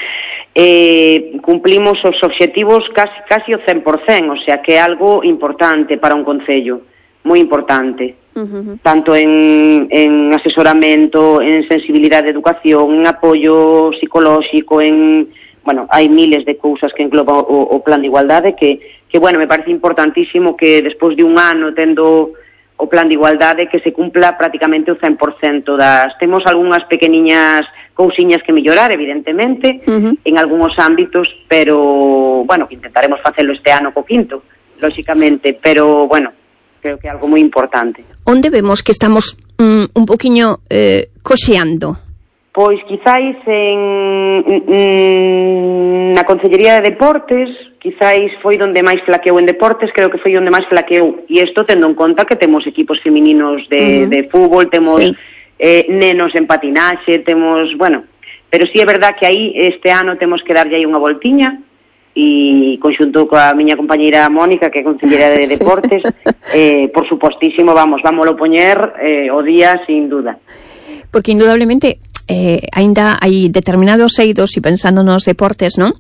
eh, cumplimos os obxectivos casi, casi o cen por cen, o sea que é algo importante para un concello, moi importante. Uh-huh. Tanto en, en asesoramento, en sensibilidade de educación, en apoio psicolóxico, en, bueno, hai miles de cousas que engloba o, o plan de igualdade que, que, bueno, me parece importantísimo que despois de un ano tendo o plan de igualdade que se cumpla prácticamente o cen por cento das... Temos algunhas pequeniñas cousiñas que mellorar, evidentemente, uh-huh. en algúns ámbitos, pero, bueno, que intentaremos facelo este ano co quinto, lóxicamente, pero, bueno, creo que é algo moi importante. Onde vemos que estamos mm, un poquinho eh, coxeando? Pois quizáis en, en na Consellería de Deportes, quizáis foi donde máis flaqueou en deportes, creo que foi onde máis flaqueou, e isto tendo en conta que temos equipos femininos de, uh-huh. de fútbol, temos sí. eh, nenos en patinaxe, temos, bueno, pero sí é verdad que aí este ano temos que darlle aí unha voltiña, e conxunto coa miña compañeira Mónica, que é conselleira de deportes, sí. eh, por supostísimo, vamos, vámoslo poñer eh, o día sin duda. Porque indudablemente eh, ainda hai determinados eidos, e pensando nos deportes, non?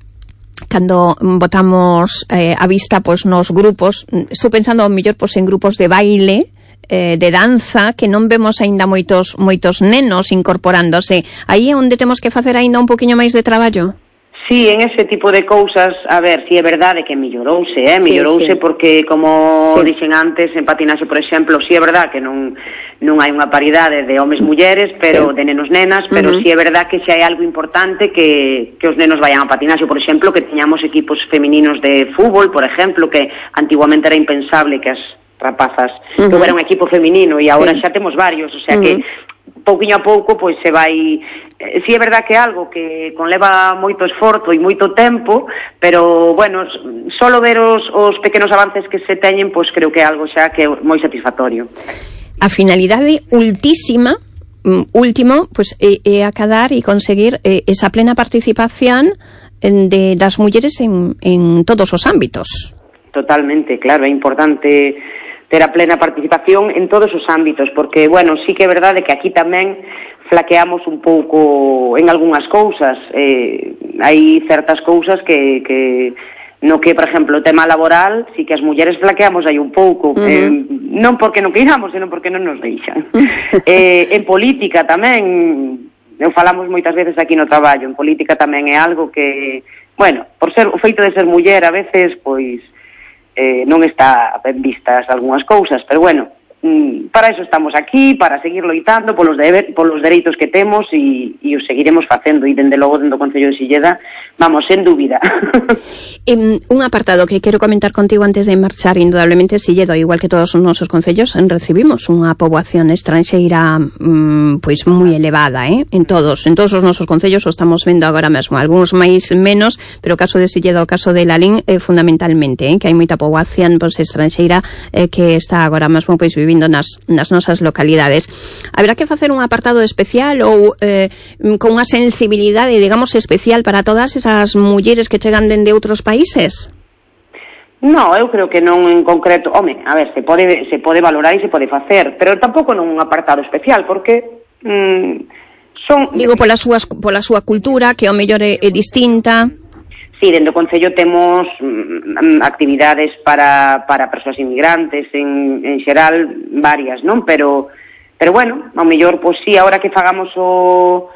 Cando botamos eh, a vista pois, nos grupos, estou pensando ao mellor pois, en grupos de baile, eh, de danza, que non vemos aínda moitos moitos nenos incorporándose. Aí é onde temos que facer aínda un poquinho máis de traballo. Sí, en ese tipo de cousas, a ver, si é verdade que mellorouse, eh, mellorouse sí, sí. porque, como sí. dixen antes, en patinaxe, por exemplo, si é verdade que non non hai unha paridade de homes mulleres, pero sí. de nenos nenas, pero uh-huh. si é verdade que xa hai algo importante que, que os nenos vayan a patinaxe, por exemplo, que teñamos equipos femininos de fútbol, por exemplo, que antiguamente era impensable que as rapazas uh-huh. que houbera un equipo feminino, e agora sí. xa temos varios, o sea uh-huh. que pouquiño a pouco pois se vai. Eh, si é verdad que é algo que conleva moito esforzo e moito tempo, pero bueno, solo ver os, os pequenos avances que se teñen, pois creo que é algo xa que é moi satisfactorio. A finalidade ultísima último, pois é, é acadar e conseguir eh, esa plena participación de das mulleres en, en todos os ámbitos. Totalmente, claro, é importante ter a plena participación en todos os ámbitos, porque, bueno, sí que é verdade que aquí tamén flaqueamos un pouco en algunhas cousas. Eh, hai certas cousas que, que no que, por exemplo, o tema laboral, sí que as mulleres flaqueamos aí un pouco, uh-huh. eh, non porque non queiramos, senón porque non nos deixan. eh, en política tamén, eu falamos moitas veces aquí no traballo, en política tamén é algo que, bueno, por ser o feito de ser muller a veces, pois, Eh, non está ben vistas algunhas cousas, pero bueno, mm, para eso estamos aquí, para seguir loitando polos, deber, polos dereitos que temos e, e os seguiremos facendo, e dende logo dentro do Concello de Silleda, vamos, sen dúbida. En un apartado que quero comentar contigo antes de marchar, indudablemente Silleda, igual que todos os nosos concellos, recibimos unha poboación estranxeira mmm, pois moi elevada, eh? En todos, en todos os nosos concellos o estamos vendo agora mesmo, algúns máis menos, pero o caso de Silleda, o caso de Lalín, eh, fundamentalmente, eh? Que hai moita poboación pois, estranxeira eh, que está agora mesmo pois vivindo nas, nas nosas localidades. Haberá que facer un apartado especial ou eh, con unha sensibilidade, digamos, especial para todas esas mulleres que chegan dende outros países? No, eu creo que non en concreto, home, a ver, se pode se pode valorar e se pode facer, pero tampouco nun apartado especial, porque mm, son... Digo, pola súa, pola súa cultura, que ao mellor é, é distinta. Sí, dentro do Concello temos mm, actividades para, para persoas inmigrantes, en, en xeral, varias, non? Pero, pero bueno, ao mellor, pois sí, ahora que fagamos o...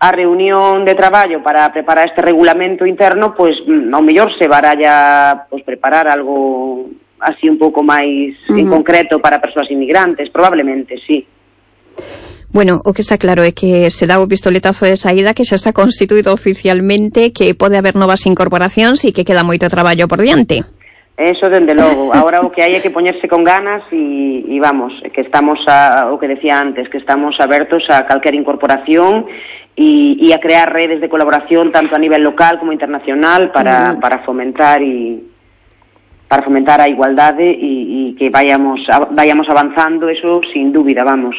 a reunión de traballo para preparar este regulamento interno, pois ao mellor se baralla pois preparar algo así un pouco máis uh-huh. en concreto para persoas inmigrantes, probablemente, sí. Bueno, o que está claro é que se dá o pistoletazo de saída, que xa está constituído oficialmente, que pode haber novas incorporacións e que queda moito traballo por diante. Eso, dende logo. Ahora o que hai é que poñerse con ganas e, e vamos, que estamos, a, o que decía antes, que estamos abertos a calquera incorporación y, y a crear redes de colaboración tanto a nivel local como internacional para, mm. para fomentar y para fomentar a igualdade e, y que vayamos vayamos avanzando, eso sin dúbida, vamos.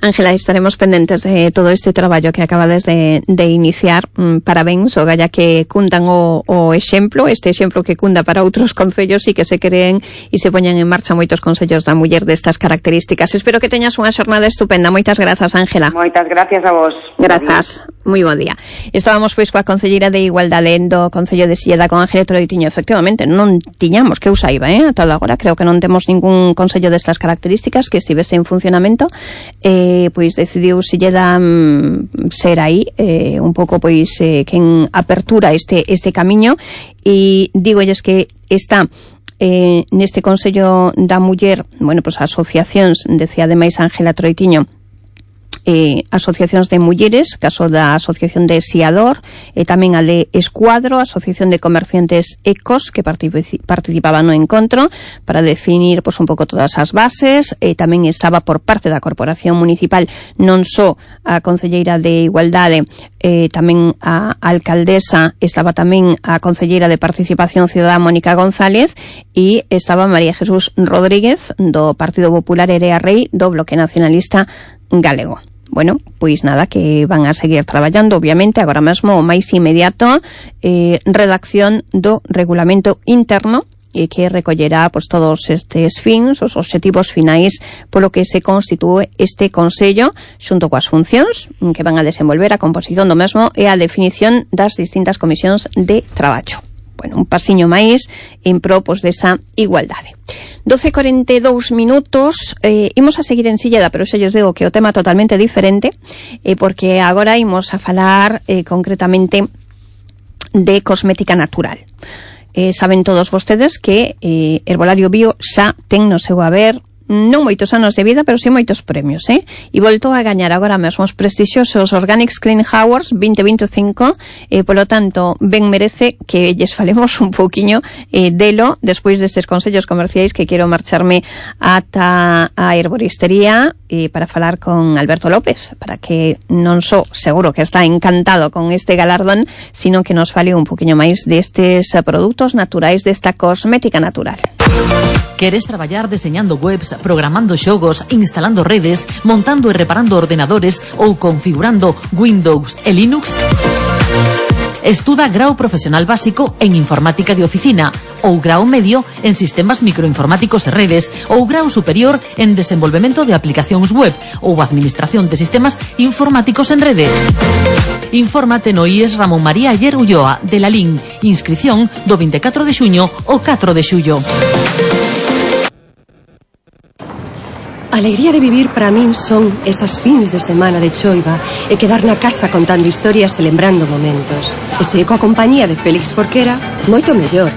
Ángela, estaremos pendentes de todo este traballo que acabades de, de iniciar. Mm, parabéns, o galla que cundan o, o exemplo, este exemplo que cunda para outros concellos e que se creen e se poñan en marcha moitos concellos da muller destas características. Espero que teñas unha xornada estupenda. Moitas grazas, Ángela. Moitas gracias a vos. Grazas. Moi bo día. Estábamos pois coa concelleira de Igualdade do Concello de Silleda, con Ángela Troitiño. Efectivamente, non tiñamos, que eu saiba, eh? Ata agora creo que non temos ningún concello destas características que estivese en funcionamento. Eh, pois decidiu Silleda mm, ser aí eh, un pouco pois eh, quen apertura este este camiño, e dígolles que está eh, neste Consello da Muller, bueno, pois asociacións, decía ademais Ángela Troitiño, Eh, asociacións de mulleres, caso da Asociación de Siador, e tamén a de Escuadro, Asociación de Comerciantes Ecos, que participaban no encontro para definir pois, un pouco todas as bases, e tamén estaba por parte da Corporación Municipal non só a Concelleira de Igualdade, eh, tamén a alcaldesa, estaba tamén a Concelleira de Participación Ciudadana Mónica González, e estaba María Jesús Rodríguez do Partido Popular Erea Rei do Bloque Nacionalista Galego. Bueno, pois nada, que van a seguir traballando, obviamente, agora mesmo o máis inmediato, eh, redacción do regulamento interno, e que recollerá pois, todos estes fins, os obxectivos finais polo que se constitúe este Consello, xunto coas funcións que van a desenvolver, a composición do mesmo e a definición das distintas comisións de traballo. Bueno, un pasiño máis en pro pois, desa igualdade. doce e corenta e dous minutos, eh, imos a seguir en Silleda, pero xa lles digo que o tema totalmente diferente, eh, porque agora imos a falar eh, concretamente de cosmética natural. Eh, saben todos vostedes que eh, Herbolario Bio xa ten no seu haber non moitos anos de vida, pero si moitos premios, eh? E voltou a gañar agora mesmo os prestixiosos Organics Clean Awards vinte veinticinco, e polo tanto ben merece que lles falemos un pouquiño eh, delo despois destes consellos comerciais, que quero marcharme ata a herboristería eh, para falar con Alberto López, para que non só seguro que está encantado con este galardón, sino que nos fale un pouquiño máis destes produtos naturais, desta cosmética natural. Queres traballar deseñando webs, programando xogos, instalando redes, montando e reparando ordenadores ou configurando Windows e Linux? Estuda grao profesional básico en informática de oficina, ou grao medio en sistemas microinformáticos e redes, ou grao superior en desenvolvemento de aplicacións web ou administración de sistemas informáticos en rede. Infórmate no I E S Ramón María Ayer Ulloa de Lalín. Inscripción do vinte e catro de xuño ao catro de xullo. A alegría de vivir para min son esas fins de semana de choiva e quedar na casa contando historias e lembrando momentos. E se coa compañía de Félix Forquera, moito mellor.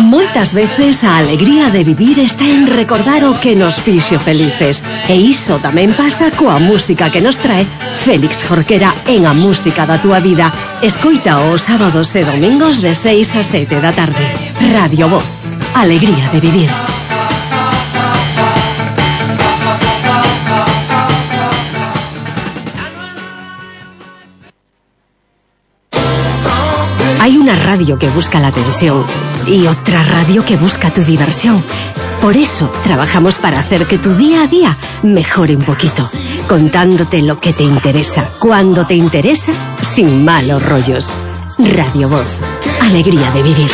Moitas veces a alegría de vivir está en recordar o que nos fixo felices. E iso tamén pasa coa música que nos trae Félix Jorquera en A Música da Túa Vida. Escoita os sábados e domingos de seis a sete da tarde. Radio Voz. Alegría de vivir. Hay una radio que busca la atención y otra radio que busca tu diversión. Por eso trabajamos para hacer que tu día a día mejore un poquito, contándote lo que te interesa, cuando te interesa, sin malos rollos. Radio Voz. Alegría de vivir.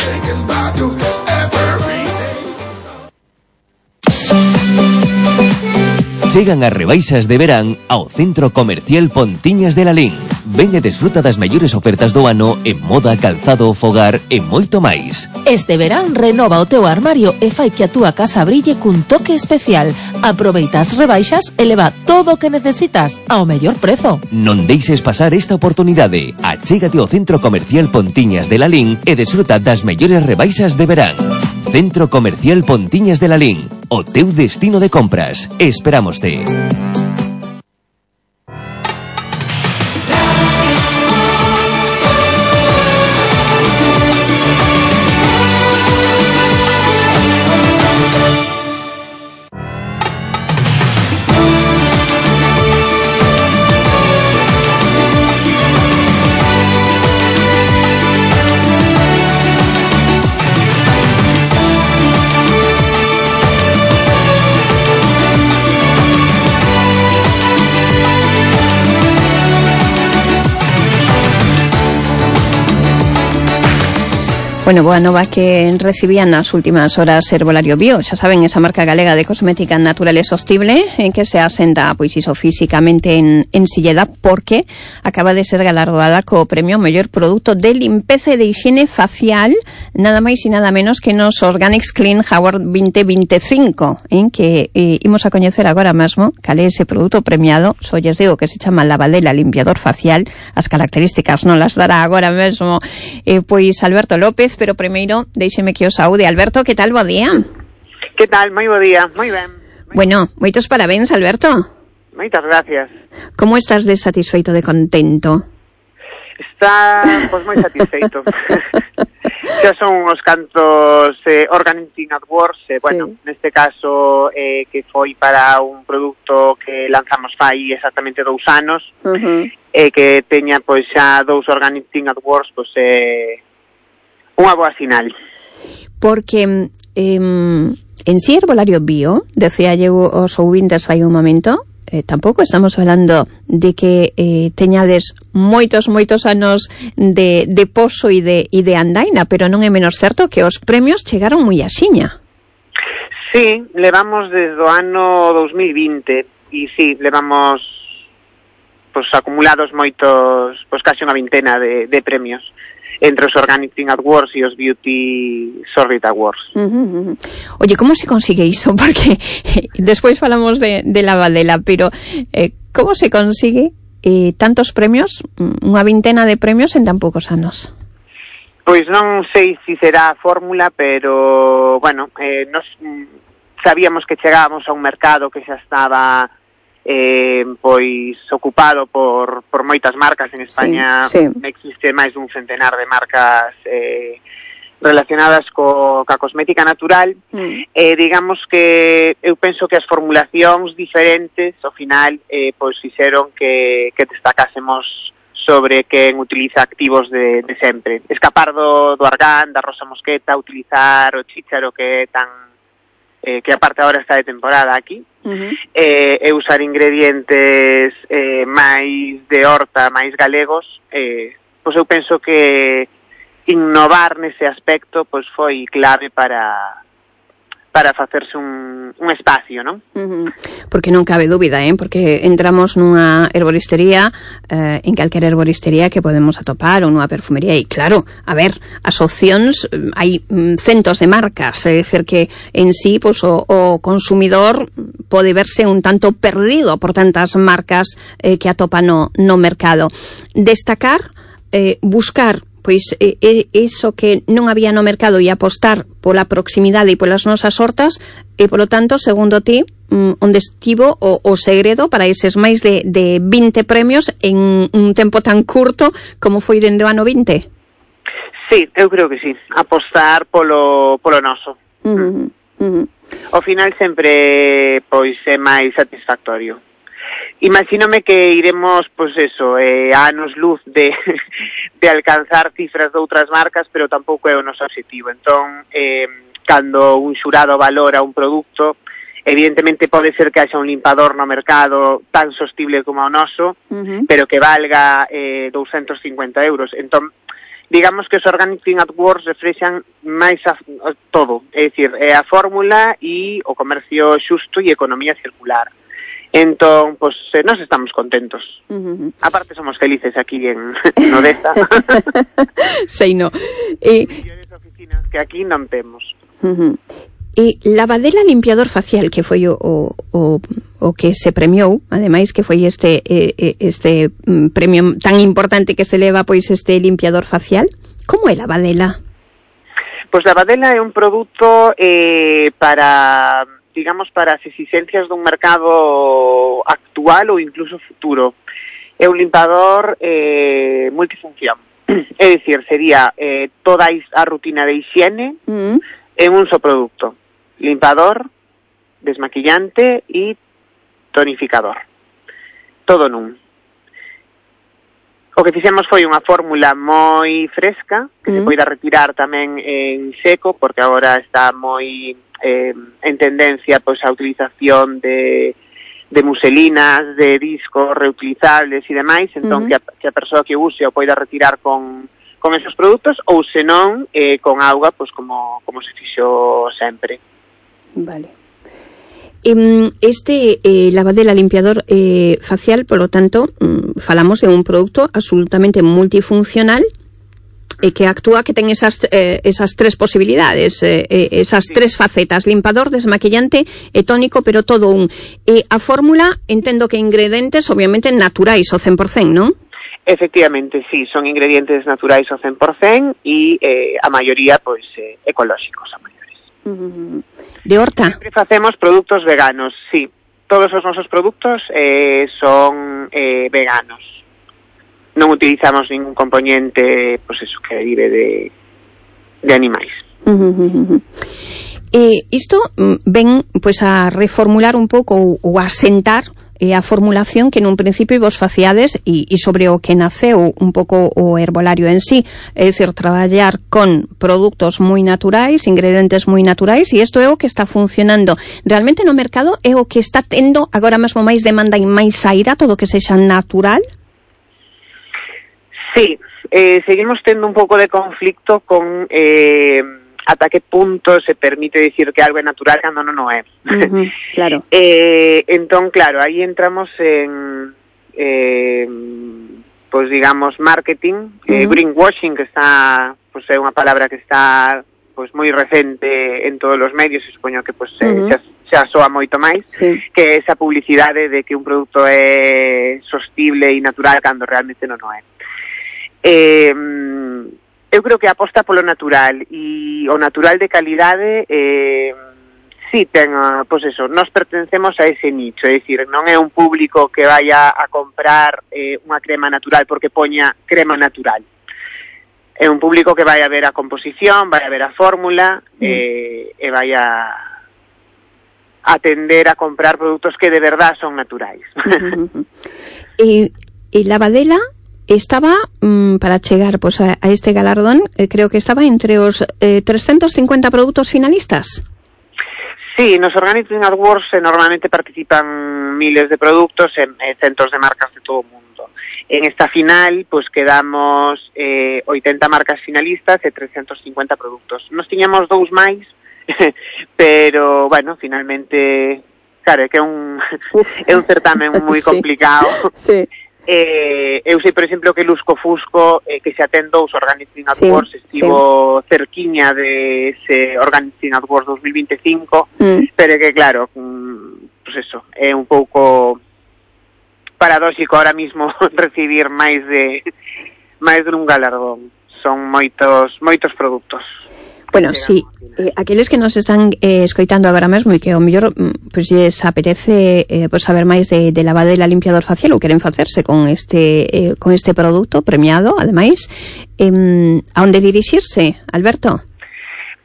Chegan as rebaixas de verán ao Centro Comercial Pontiñas de Lalín. Ven e desfruta das mellores ofertas do ano en moda, calzado, fogar e moito máis. Este verán renova o teu armario e fai que a túa casa brille cun toque especial. Aproveita as rebaixas e leva todo o que necesitas ao mellor prezo. Non deixes pasar esta oportunidade. Achégate ao Centro Comercial Pontiñas de Lalín e desfruta das mellores rebaixas de verán. Centro Comercial Pontiñas de Lalín, o teu destino de compras. Esperámoste. Bueno, boa nova que recibían nas últimas horas Herbolario Bio, xa saben, esa marca galega de cosmética natural e sostible en que se asenta, pois iso, físicamente en, en Silleda, porque acaba de ser galardoada co premio mellor produto de limpeza e de higiene facial, nada máis e nada menos que nos Organics Clean Award veinte veinticinco, en que eh, imos a coñecer agora mesmo cal é ese produto premiado. Só lles digo que se chama Lavadela Limpiador Facial, as características non las dará agora mesmo eh, pois Alberto López. Pero primeiro, déixeme que o saúde. Alberto, que tal? Bo día. Que tal? Moi bo día, moi ben. Moi bueno, moitos parabéns, Alberto. Moitas gracias. Como estás de satisfeito, de contento? Está, pois, moi satisfeito. Xa son uns cantos eh, Organizing Awards, eh, bueno, sí. Neste caso eh, que foi para un produto que lanzamos fai exactamente dous anos, uh-huh. eh, que teña pois xa dous Organizing Awards, pois eh, unha boa sinal. Porque eh, en si Herbolario Bio, decía eu os ouvintes fai un momento, eh, tampouco estamos falando de que eh, teñades moitos, moitos anos de, de poso e de, e de andaina, pero non é menos certo que os premios chegaron moi axiña. Sí, levamos desde o ano dos mil vinte e sí, levamos pues, acumulados moitos, pues casi unha vintena de, de premios entre os Organizing Awards e os Beauty Sorrit Awards. Uh -huh, uh -huh. Oye, como se consigue iso? Porque eh, despois falamos de, de Lavadela, pero eh, como se consigue eh, tantos premios, unha vintena de premios en tan poucos anos? Pois non sei se será a fórmula, pero, bueno, eh, nos sabíamos que chegábamos a un mercado que xa estaba Eh, pois ocupado por, por moitas marcas. En España sí, sí. Existe máis dun centenar de marcas eh, relacionadas co, ca cosmética natural. mm. eh, digamos que eu penso que as formulacións diferentes ao final eh, pois fixeron que, que destacásemos sobre quen utiliza activos de, de sempre, escapar do, do argán, da rosa mosqueta, utilizar o chícharo que é tan Eh, que aparte agora está de temporada aquí, uh-huh. eh, e usar ingredientes eh, máis de horta, máis galegos, eh, pois eu penso que innovar nese aspecto pois foi clave para para facerse un, un espacio, non? Uh-huh. Porque non cabe dúbida, eh? Porque entramos nunha herboristería, eh, en calquera herboristería que podemos atopar, ou nunha perfumería, e claro, a ver, as opcións, hai mm, centos de marcas, é dicir que en sí, pues, o, o consumidor pode verse un tanto perdido por tantas marcas eh, que atopa no, no mercado. Destacar, eh, buscar pois é, é iso que non había no mercado e apostar pola proximidade e polas nosas hortas e, polo tanto, segundo ti, mm, onde estivo o, o segredo para eses máis de, de vinte premios en un tempo tan curto como foi dende o ano vinte? Sí, eu creo que sí, apostar polo, polo noso. Uh-huh, uh-huh. Ao final sempre pois é máis satisfactorio. Imagínome que iremos, pois eso, eh, a anos luz de, de alcanzar cifras de outras marcas, pero tampouco é o noso objetivo. Entón, eh, cando un xurado valora un produto, evidentemente pode ser que haxa un limpador no mercado tan sostible como o noso, uh-huh. pero que valga eh, doscientos cincuenta euros. Entón, digamos que os Organizing Awards reflexan máis a, a todo, é dicir, é a fórmula e o comercio xusto e economía circular. Entón, pois, pues, eh, nós estamos contentos. Uh-huh. Aparte, somos felices aquí en, en Odessa. Sei, no. E... Mellores oficinas que aquí non temos. Uh-huh. E lavadela limpiador facial, que foi o, o, o, o que se premiou, ademais, que foi este este um, premio tan importante que se leva, pois, este limpiador facial. Como é lavadela? Pois lavadela é un produto eh, para... digamos, para as exigencias dun mercado actual ou incluso futuro. É un limpador eh, multifunción. É dicir, sería eh, toda a rutina de higiene mm. en un só produto. Limpador, desmaquillante e tonificador. Todo nun. O que fixemos foi unha fórmula moi fresca, que mm. se poida retirar tamén en seco, porque agora está moi... Eh, en tendencia pois a utilización de, de muselinas, de discos reutilizables e demais, entón uh-huh. que, a, que a persoa que use o poida retirar con, con esos produtos ou senón eh, con auga, pois como, como se fixo sempre. Vale. Este eh, lavadela limpiador eh, facial, polo tanto, falamos de un produto absolutamente multifuncional e que actúa, que ten esas eh, esas tres posibilidades, eh, esas sí. tres facetas, limpador, desmaquillante e tónico, pero todo un. E a fórmula, entendo que ingredientes obviamente naturais ao cen por cen, non? Efectivamente, sí, son ingredientes naturais ao cen por cen e eh, a maioría, pois, eh, ecolóxicos a maiores. Uh-huh. De horta? Sempre facemos produtos veganos, sí. Todos os nosos produtos eh, son eh, veganos. Non utilizamos ningún componente, pois pues eso, que derive de, de animais. Uh-huh, uh-huh. Eh, isto ven pois pues, a reformular un pouco ou, ou a sentar eh, a formulación que nun principio vos faciades e, e sobre o que naceu un pouco o herbolario en sí, é dicir, traballar con produtos moi naturais, ingredientes moi naturais, e isto é o que está funcionando realmente no mercado, é o que está tendo agora mesmo máis demanda e máis saída, todo o que sexa natural. Sí, eh, seguimos tendo un pouco de conflicto con eh, ata que punto se permite dicir que algo é natural cando non o é. Uh-huh, claro. eh, entón, claro, aí entramos en, eh, pois digamos, marketing, uh-huh. eh, greenwashing, que está, pois é unha palabra que está pois moi recente en todos os medios, e supoño que pois uh-huh. xa, xa soa moito máis, sí. que é esa publicidade de que un produto é sostible e natural cando realmente non o é. Eh, eu creo que aposta polo natural e o natural de calidade eh, sí ten, pois eso, nós pertencemos a ese nicho, é dicir, non é un público que vaya a comprar eh, unha crema natural porque poña crema natural, é un público que vai a ver a composición, vai a ver a fórmula mm. eh, e vai a atender a comprar produtos que de verdad son naturais. Uh-huh. E, e lavadela estaba, mmm, para chegar pues, a, a este galardón, eh, creo que estaba entre os eh, trescentos cincuenta produtos finalistas. Sí, nos Organizing Awards eh, normalmente participan miles de productos en eh, centos de marcas de todo o mundo. En esta final, pues quedamos eh, oitenta marcas finalistas e trescentos cincuenta produtos. Nos tiñamos dous máis, pero, bueno, finalmente, claro, é que é un, é un certamen moi complicado. Sí. Eh, eu sei, por exemplo, que Lusco Fusco, eh, que se atendou os Organizing Awards, sí, estivo sí. cerquiña de ese Organizing Awards dos mil veinticinco, mm. pero que, claro, mm, pues eso, é un pouco paradóxico ahora mismo recibir máis de máis de un galardón. Son moitos moitos produtos. Bueno, sí, eh, aqueles que nos están eh, escoitando agora mesmo e que ao mellor pois pues, lles apetece eh, pues, saber máis de, de lavadela limpiador facial ou queren facerse con este eh, con este produto premiado, ademais, eh, a onde dirixirse, Alberto?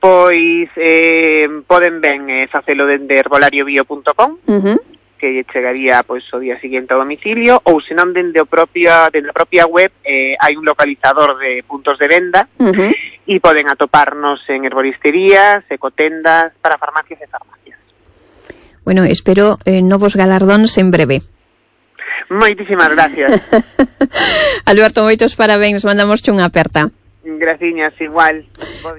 Pois eh, poden ben eh, facelo dende herbolariobio punto com, uh-huh. que lle chegaría pois o día seguinte ao domicilio, ou senón dende o propio dende a propia web eh, hai un localizador de puntos de venda. Uh-huh. E poden atoparnos en herboristerías, ecotendas, para farmacias e farmacias. Bueno, espero eh, novos galardóns en breve. Moitísimas gracias. Alberto, moitos parabéns, mandamos unha aperta. Graciñas, igual.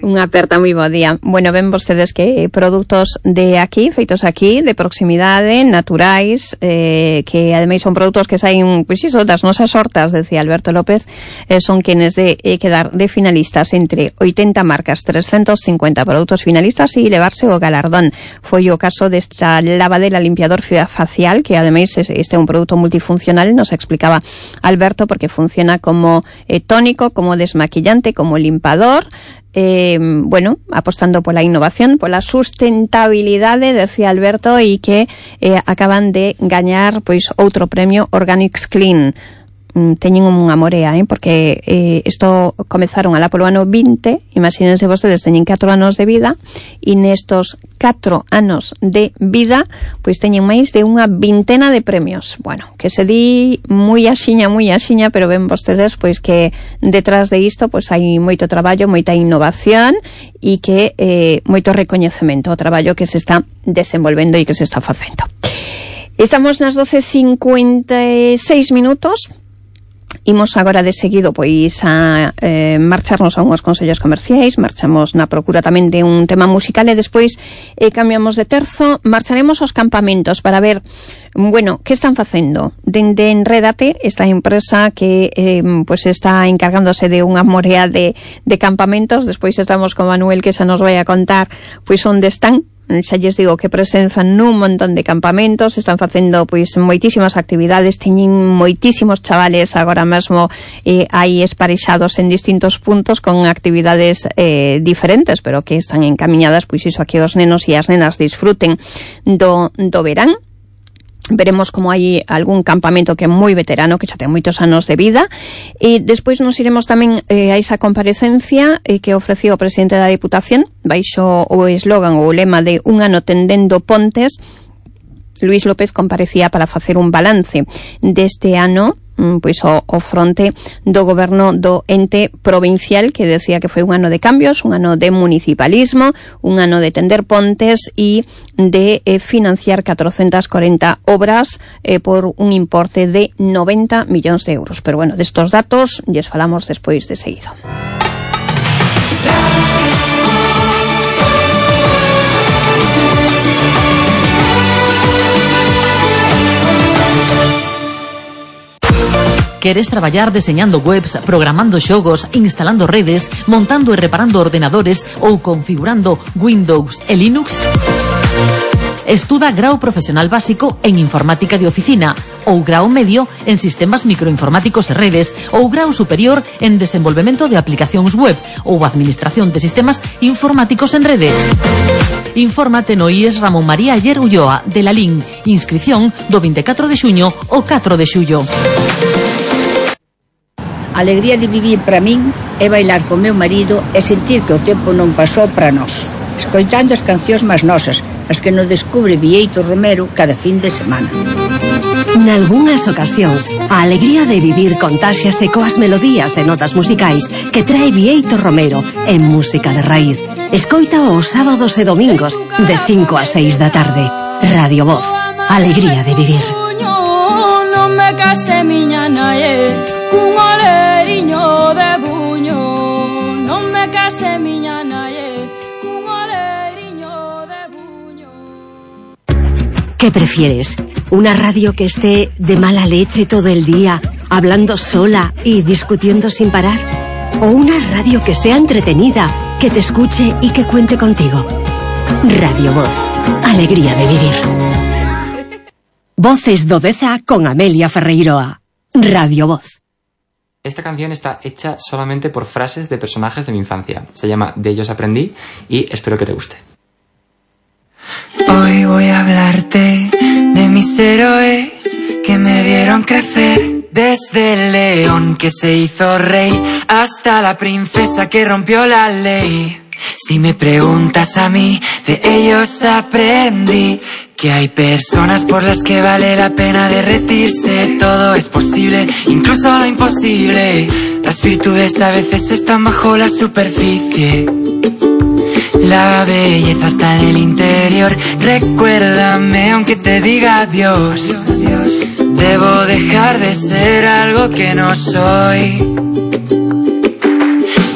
Unha aperta moi bo día. Bueno, ven vostedes que produtos de aquí, feitos aquí, de proximidade, naturais, eh, que ademais son produtos que saen, pois iso, das nosas hortas, decía Alberto López, eh, son quenes de eh, quedar de finalistas entre oitenta marcas, trescentos cincuenta produtos finalistas e levarse o galardón. Foi o caso desta lavadera limpiador facial, que ademais este é un produto multifuncional, nos explicaba Alberto, porque funciona como eh, tónico, como desmaquillante, como limpador, eh, bueno, apostando pola innovación, pola sustentabilidade, decía Alberto, e que eh, acaban de gañar pois outro premio Organics Clean. Teñen unha morea, eh? porque eh, isto comezaron alá polo ano vinte, imagínense vostedes, teñen catro anos de vida, e nestos catro anos de vida pois teñen máis de unha vintena de premios. Bueno, que se di moi axiña, moi axiña, pero ven vostedes pois que detrás de isto pois hai moito traballo, moita innovación e que eh, moito recoñecemento ao traballo que se está desenvolvendo e que se está facendo. Estamos nas doce cincuenta e seis minutos. Imos agora de seguido pois a eh, marcharnos a unhos consellos comerciais, marchamos na procura tamén de un tema musical e despois eh, cambiamos de terzo, marcharemos aos campamentos para ver, bueno, que están facendo. Dende Enrédate, esta empresa que eh, pois está encargándose de unha morea de, de campamentos, despois estamos con Manuel que xa nos vai a contar pois onde están. Xa lles digo que presenzan nun montón de campamentos, están facendo pois moitísimas actividades, teñen moitísimos chavales agora mesmo eh, aí esparexados en distintos puntos con actividades eh, diferentes, pero que están encamiñadas pois iso a que os nenos e as nenas disfruten do, do verán. Veremos como hai algún campamento que é moi veterano, que xa ten moitos anos de vida, e despois nos iremos tamén eh, a esa comparecencia eh, que ofreciu o presidente da Diputación baixo o eslogan ou o lema de un ano tendendo pontes. Luís López comparecía para facer un balance deste ano pois o, o fronte do goberno do ente provincial, que decía que foi un ano de cambios, un ano de municipalismo, un ano de tender pontes e de eh, financiar catrocentas corenta obras eh, por un importe de noventa millóns de euros. Pero bueno, destos datos lles falamos despois de seguido. Queres traballar deseñando webs, programando xogos, instalando redes, montando e reparando ordenadores ou configurando Windows e Linux? Estuda grao profesional básico en informática de oficina ou grao medio en sistemas microinformáticos e redes ou grao superior en desenvolvemento de aplicacións web ou administración de sistemas informáticos en rede. Infórmate no I E S Ramón María Ayer Ulloa de la L I N. Inscripción do vinte e catro de xuño ao catro de xullo. A alegría de vivir para min é bailar con meu marido e sentir que o tempo non pasou para nós, escoitando as cancións máis nosas, as que nos descubre Bieito Romero cada fin de semana. Nalgúnas ocasións, a alegría de vivir contáxiase coas melodías e notas musicais que trae Bieito Romero en música de raíz. Escoita os sábados e domingos de cinco a seis da tarde. Radio Voz, alegría de vivir. Non me case miña nae, cun oleriño de buño. Non me case miña nae, cun oleriño de buño. ¿Qué prefieres? ¿Una radio que esté de mala leche todo el día, hablando sola y discutiendo sin parar? ¿O una radio que sea entretenida, que te escuche y que cuente contigo? Radio Voz, alegría de vivir. Voces do Deza con Amelia Ferreiroa. Radio Voz. Esta canción está hecha solamente por frases de personajes de mi infancia. Se llama De ellos aprendí y espero que te guste. Hoy voy a hablarte de mis héroes que me vieron crecer. Desde el león que se hizo rey hasta la princesa que rompió la ley. Si me preguntas a mí, de ellos aprendí que hay personas por las que vale la pena derretirse. Todo es posible, incluso lo imposible. Las virtudes a veces están bajo la superficie. La belleza está en el interior. Recuérdame aunque te diga adiós. Debo dejar de ser algo que no soy.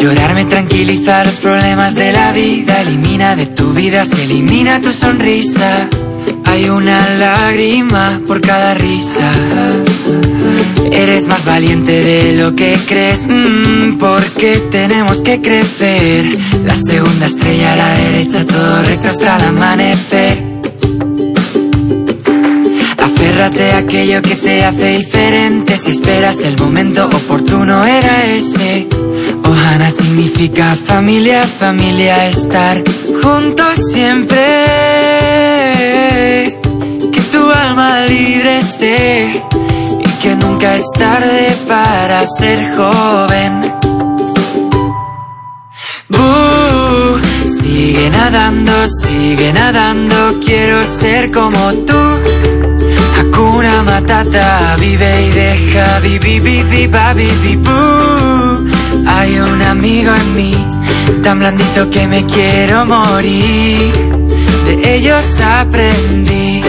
Llorar me tranquiliza los problemas de la vida. Elimina de tu vida, se elimina tu sonrisa. Hay una lágrima por cada risa. Eres más valiente de lo que crees, mm, porque tenemos que crecer. La segunda estrella a la derecha, todo recto hasta el amanecer. Aférrate a aquello que te hace diferente. Si esperas el momento oportuno era ese. Ohana significa familia, familia, estar juntos siempre. Que tu alma libre esté y que nunca es tarde para ser joven. Uh, sigue nadando, sigue nadando, quiero ser como tú. Hakuna Matata, vive y deja, vivi, vivi, babi, bibú. Hay un amigo en mí, tan blandito que me quiero morir. De ellos aprendí